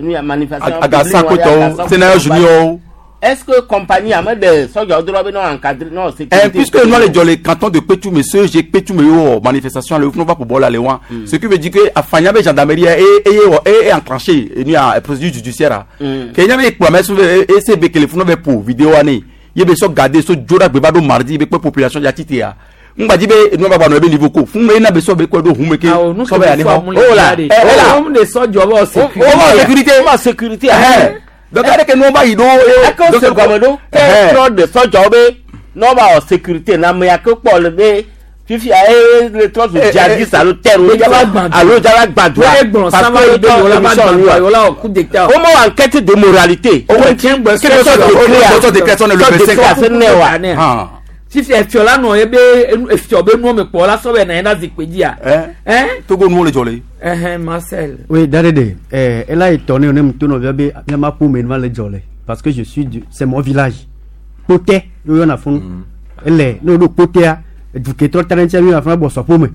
nu ya manifestation. Agasa kotɔwo Sénat junior. Est-ce que compagnie ame de sɔdza dɔrɔn be n'o encadré n'o sécurité. Puisque nous le jɔ le canton de Kpetoume ce j'ai Kpetoume yo manifestation le va pour bɔla le wa. Ce qui veut dire que afanya be gendarmerie et et enclenché et nous a procédure judiciaire. Kenya be kplɔ mɛ et c'est be téléphone be pour vidéo ani ye be sɔ garder so joda gbe va do mardi be kpe population ya tite ya. Ngba di be nu ba ba no be niveau ko fun me na be so be ko do hun me ke so be ani ho. Oh là là. O de sɔdzɔ bɔ sécurité. O ma sécurité. Donc avec nous va yido donc se gɔme ɖo ke trɔ de sɔdzɔ be n'o ba wɔ sécurité na ame ya ke kpɔ le be fifia eye le trɔ zu djihadiste alo terroriste alo jala gbadua parce que be yola ba gbadua yola wɔ coup d'état. O ma wɔ enquête de moralité. O wɔ tiɲɛ gbɛ sɔ décret le 25 wa. Fifia efiɔ la nɔ ye be efiɔ be nuwo me kpɔ la sɔ bɛ na ye na zikpui dzia. Togo nuwo le dzɔ le. Marcel. Oui, Darede, elle a étonné, on aime tout nos parce que je suis du, c'est mon village. Côté, nous on a fond. Elle est, nous nous côté, du kétro talentia nous a fond bossopome.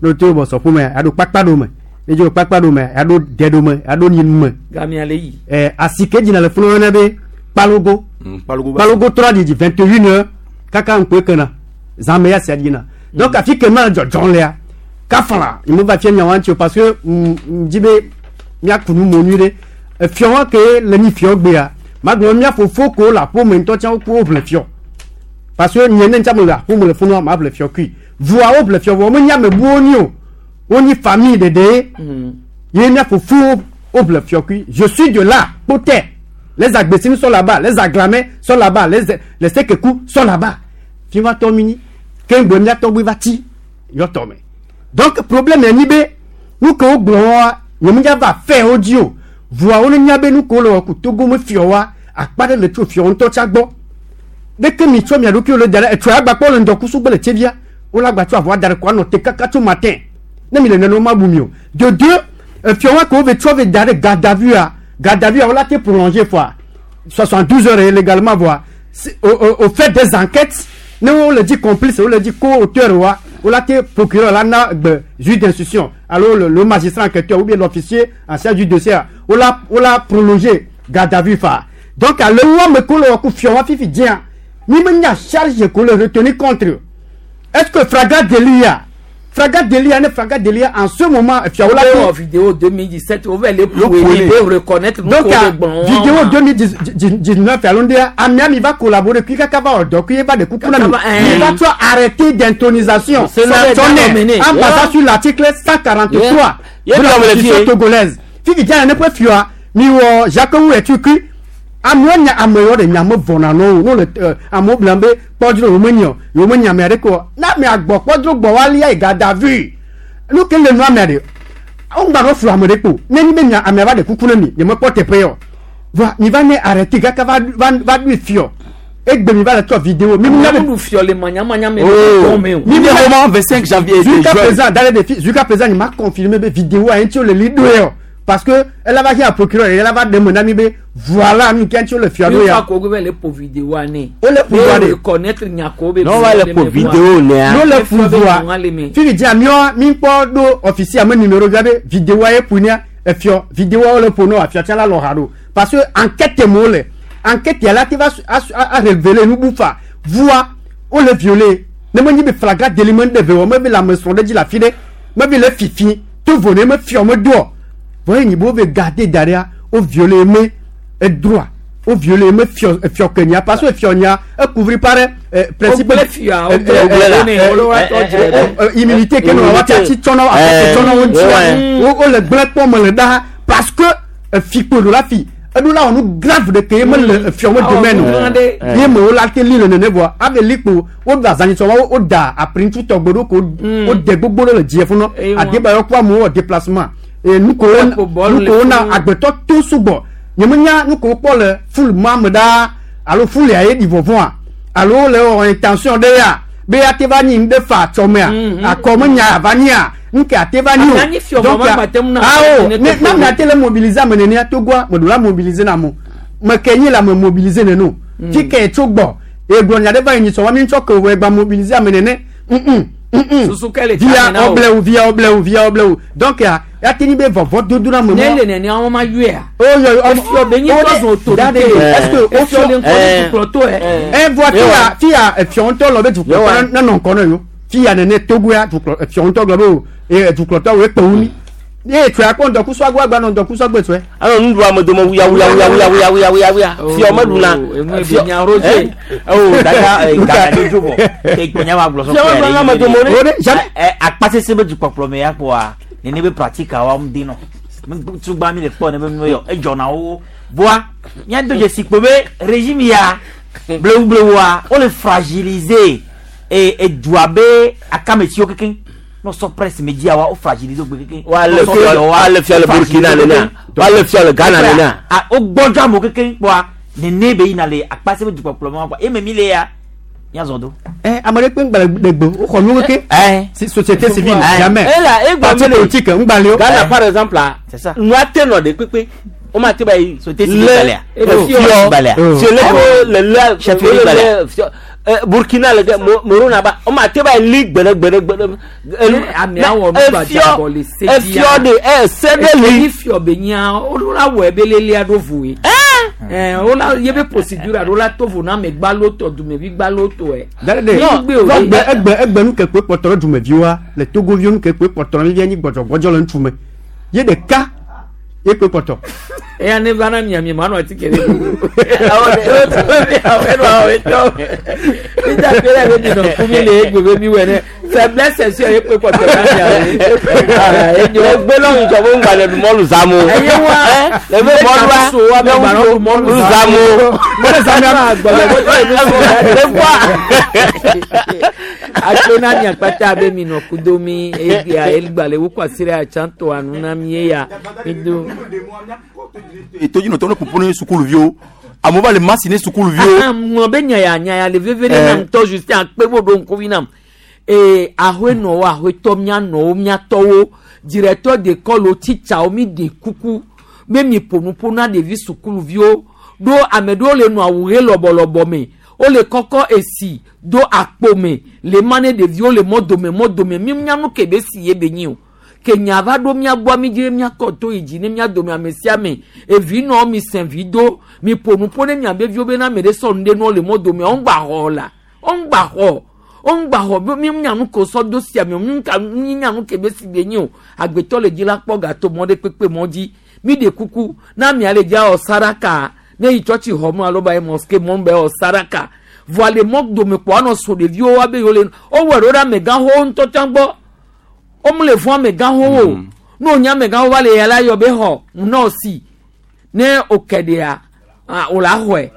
Nous tout bossopome, ado pakpadome. Et je pakpadome, ado dedome, ado ninme. Gami alei. Asike dina le fond on avait Palogo. Palogo. Palogo 3 dit 21h kaka nkwe kana. Zameya sadina. Donc afike ma John Léa. Kafala, il me va fier nyawancho parce que m'dibe mia kunu monure fion ke le ni fion gbea ma gbe mia fofo ko la po me ntɔ ko ble fion parce que nyene ntia me la po me le funu ma ble fion kui voa o ble fion vo me nya me bu oni o oni famille de de ye mia fofo o ble fion kui je suis de là poté les Agbessines sont là-bas, les Aglamais sont là-bas, les Sekekou sont là-bas. Fi va tomini kengbe mia togbe va ti yo tome. Donc problème est nibé nous ko gblɔ nyemu va faire audio voa woni nya be nu ko le ku Togo me fiowa akpa ɖe le tso fio ŋutɔ tsa gbɔ deke mi tsɔ mia ɖokui le da ɖe etso agba kpɔ le ŋdɔkusu gbe le tsevia wole agba tsɔ avɔa da ɖe ko anɔ te kaka tso matin ne mi le nene ma bu mi o de deux fiowa ko ve tsɔ ve da ɖe garde à vue wole ate prolonger fois 72 heures illégalement voa au fait des enquêtes ne wo le dit complice wo le dit co-auteur wa ou la procureur là na juge d'instruction alors le magistrat enquêteur ou bien l'officier en charge du dossier ou la prolongé garde à vue fa donc à le moment que le coup fion fifi dien ni me nya charge ko le retenir contre est-ce que fraga delia ne fraga delia en ce moment fion la vidéo 2017 on va les reconnaître donc vidéo 2019 allons dire Amiam il va collaborer puis kaka va donc il va de coucou il va toi arrêter d'intonisation en basant sur l'article 143 de la Constitution togolaise fifi dia ne peut fiwa mi wo Jacques ou et tu amewo nya amewo de nya me vɔna no no le amewo blam be kpɔdzro wo menyo yo me nya me aɖe ko na me agbɔ kpɔdzro gbɔ walia gada vu nu ke le nu ame aɖe wo ŋgba no flu ame ɖe kpo ne ni be nya amea va ɖe kuku ne mi nye me kpɔ teƒe yɔ voa mi va ne arrêté kaka va ɖui fiɔ egbe mi va le tsɔ vidéo mi mi ɖu fiɔ le manyamanya me le me o mi mi roman 25 janvier jusqu'à présent dans les défis jusqu'à présent il m'a confirmé be vidéo a ŋuti wo le li ɖoe yɔ. Parce que elle va dire à procureur, elle va demander à mi voilà nous qui le fiado ya. Ko le pour vidéo ané. O le pouvoir de reconnaître nyako be. Non va le pour vidéo né. Non le pouvoir. Fi di ami mi po do officier am numéro gabe vidéo e punia e fio vidéo le pour no afia la lo hado parce que enquête mo le. Enquête ya la te va a révéler nu bu fa. Voa wo le violer. Ne me nyi be flagrant délit me ɖe ve wɔ me be le ame srɔ̃ ɖe dzi le afi ɖe. Me be le fifi to vo ne me fiɔ me doɔ. Vɔ ye nyi be wo be garder da ɖea wo violer me edroit. Wo violer me fiɔ efiɔ ke nya parce que efiɔ nya e couvrir par principe Wo gblẽ fia, wo gblẽ wo ne, wo le wa tɔ dzre ɖe. Immunité ke nɔ wa tsi tsɔnɔ afɔ tsɔnɔ wo ŋuti. Wo le gblẽ kpɔ me le ɖa parce que efi kpo ɖo la fi. Eɖo la wɔ nu grave ɖe ke ye mele efiɔ me domaine o. Ye me wo la te li le nene vɔa ave li kpo wo do azanyitsɔ wa wo da aprintu tɔgbe ɖo ko wo de gbogbo ɖe le dziɛ funɔ. Adebayɔ kpɔ amewo wɔ déplacement. E nuko wo na agbetɔ to sugbɔ. Nye me nya nuko wo kpɔ le ful ma me ɖaa alo ful ya ye ɖi vɔvɔa alo le wɔ intention ɖe ya be ya te va nyi ŋɖe fa tsɔmea akɔ me nya va nyia nke ate va nyi o. Donc awo ne na mi ate le mobiliser ame nenea Togoa me ɖo la mobiliser na mo me ke nyi la me mobiliser neno. Fi ke tso gbɔ egblɔ nya ɖe va yi nyi sɔ wa mi ŋutɔ ke wɔ egba mobiliser ame nene. Susu ke le Via ɔblɛwu via ɔblɛwu via ɔblɛwu donc ya ya te nyi be vɔvɔ dodo na me Ne le nenea wɔn ma yɔea. O yɔ Efiɔ be nyi tɔ zɔn autorité. Est-ce que o Efiɔ le ŋkɔ ne dukplɔtɔ yɛ. Ɛ voa fia fia efiɔ ŋutɔ lɔ be dukplɔtɔ ne nɔ ŋkɔ ne yo. Fia nene Togoa dukplɔ efiɔ ŋutɔ gblɔ be o e dukplɔtɔ wo ekpe wu mi. Ye tsɔe akpɔ ŋdɔkusu agbo agba nɔ ŋdɔkusu agbo tsɔe. Alo nuɖu ame dome wuya wuya wuya wuya wuya wuya wuya wuya. Fiɔ me ɖuna. Enu ebi nya Roger. Oh dada dada de dzo vɔ. Ke gbɔnya ma gblɔ sɔ Fiɔ me ɖuna ame dome ɖe. Akpasese be dukpɔkplɔ me ya kpɔa nene be pratique wa mu de nɔ. Tugba mi le kpɔ ne be nu yɔ edzɔna wo. Voa míado dzesi kpo be régime ya blewu blewua wo le fragiliser e edua be akametsiwo kekeŋ. No sɔ presse media wa wo fragiliser wo gbe kekeŋ. Wa le fiɔ wa le fiɔ le Burkina nenea. Wa le fiɔ le Ghana nenea. A wo gbɔdzɔ amewo kekeŋ kpɔa nene be yina le akpase be dukpɔkplɔ ma kpɔa eme mi le ya míazɔ do. Ɛ ame ɖe kpe ŋgba le gbe woxɔ nu keke. Société civile jamais. Ela egba Parti politique ŋgba le o. Ghana par exemple la. C'est ça. Nua te nɔ ɖe kpekpe. O ma te ba yi. Société civile gbalẽa. Fiɔ Gbalẽa. Fiɔ le ko le le Chef le gbalẽa. le fiɔ Burkina le Morona ba o ma te ba yi li gbeɖe gbeɖe gbeɖe. Amea wɔ nu gbadzabɔ le se dzia. Efiɔ de ɛ se ɖe li. Efi fiɔ be nya wo la wɔ ebe lelia ɖo voe. Ɛ wo la ye be procédure ɖo la to vo na ame gbalo tɔ dumevi gbalo tɔ ɛ. Dade de egbe egbe egbe nu ke kpe kpɔtɔ ɖe dumeviwoa le Togoviwo nu ke kpe kpɔtɔ ɖe mi nyi gbɔdzɔgbɔdzɔ le ŋutsu me. Ye ɖeka ye kpe kpɔtɔ. Eya ne va na mia mi ma nɔ atike ɖe. Faiblesse sexuelle ye kpe kpɔtɔ na mia. Egbe lɔ ŋudzɔ be ŋgba le mɔlu zam o. Eye wa Le be mɔlua so wa be gba nɔ mɔlu zam o. Mɔlu zam ya gbɔgbɔ Akpe na mia kpata be mi nɔ kudo mi egbea egba le wokɔ asi ɖe atsãtɔ anu na mi eya mi do. Etodzinɔtɔ ne ƒoƒo ne sukuluviwo amewo va le masi ne sukuluviwo. Ŋlɔ be nya ya nya ya le veve ɖe nam ŋutɔ Justin akpe bo ɖo ŋkuvi nam. Ee aƒenɔwo aƒetɔ mianɔwo miatɔwo directeur d'école wo titsawo mi ɖe kuku be mi ƒo nu ƒo na ɖevi sukuluviwo ɖo ame ɖewo le nɔ awu ɣe lɔbɔlɔbɔ me wole kɔkɔ esi do akpo me le ma ne ɖeviwo le mɔdome mɔdome mi nya nu ke be si ye be nyi o ke nya va ɖo mía gbɔ mi dzi míakɔ to yi dzi ne mía dome ame sia ame evi nɔ mi sɛn vi do mi ƒo nu ƒo ne mia be viwo bena ame ɖe sɔ nu ɖe nɔ le mɔdome wo ŋgba xɔ la wo ŋgba xɔ wo ŋgba xɔ be mi nya nu ko sɔ do sia me mi ŋka mi nya nu ke be si be nyi o agbetɔ le dzi la kpɔ gato mɔ ɖe kpekpe mɔ dzi mi ɖe kuku na mia le dzia wɔ saraka ne yi tsɔtsi xɔ mu alo ba yi mosquée mɔ be wɔ saraka voa le mɔ dome kpɔ anɔ so ɖeviwo wa be yewo le wowɔ ɖo ɖe amegãxowo ŋutɔ tsã gbɔ wo le fún amegãxowo o ne wònye amegãxo va le ya la yɔ be xɔ nɔɔsi ne wòke ɖea wò la xɔe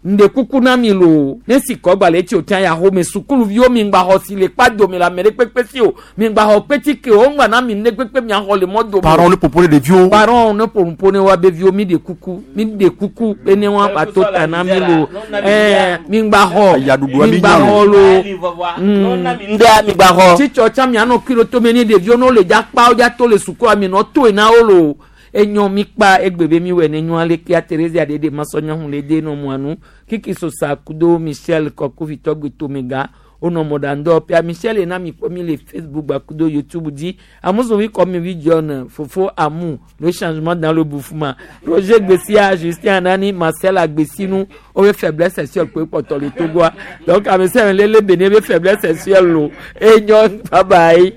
ŋɖe kuku na mi loo ne si kɔ gba le etsi o tia ya xɔ me sukuluviwo mi ŋgba xɔ si le kpa dome le ame ɖe kpekpe si o mi ŋgba xɔ kpetike o ŋgba na mi ŋɖe kpekpe mia xɔ le mɔ dome. Parents ne ƒoƒo ne ɖeviwo. Parents ne ƒo nuƒo ne wa be viwo mi ɖe kuku mi ɖe kuku be ne wa ba to ta na mi loo ɛɛ mi ŋgba xɔ mi ŋgba xɔ loo. Mi ŋgba xɔ. Tsitsɔ tsa mianɔ kilo tome ne ɖeviwo ne wole dza kpa wo dza to le sukua mi nɔ toe na wo loo. Enyo mi kpa egbe be mi wɔ ne nyɔa le kia Theresia ɖe ɖe masɔnyɔhu le de nɔ mua nu kiki sosa kudo Michel Kɔkuvitɔ gbe tomega Wonɔ mɔɖaŋudɔwɔƒea. Michel na mi kpɔ mi le Facebook gbakudo YouTube dzi. Amuzovi kɔ mi vi John Fofo Amu le changement dans le Boufouma. Roger Gbessia, Justin Anani, Marcel Agbesinu, wobe faiblesse sexuelle kpoe kpɔtɔ le Togoa. Donc ame sia ame lele be ne be faiblesse sexuelle lo. Enyo bye bye.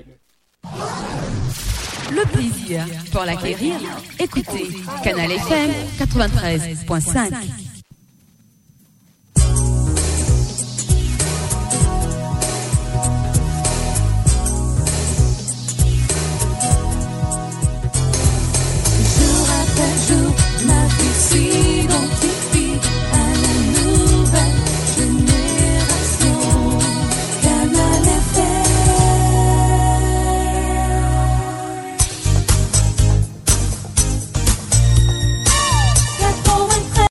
Le plaisir pour l'acquérir, écoutez Canal FM 93.5.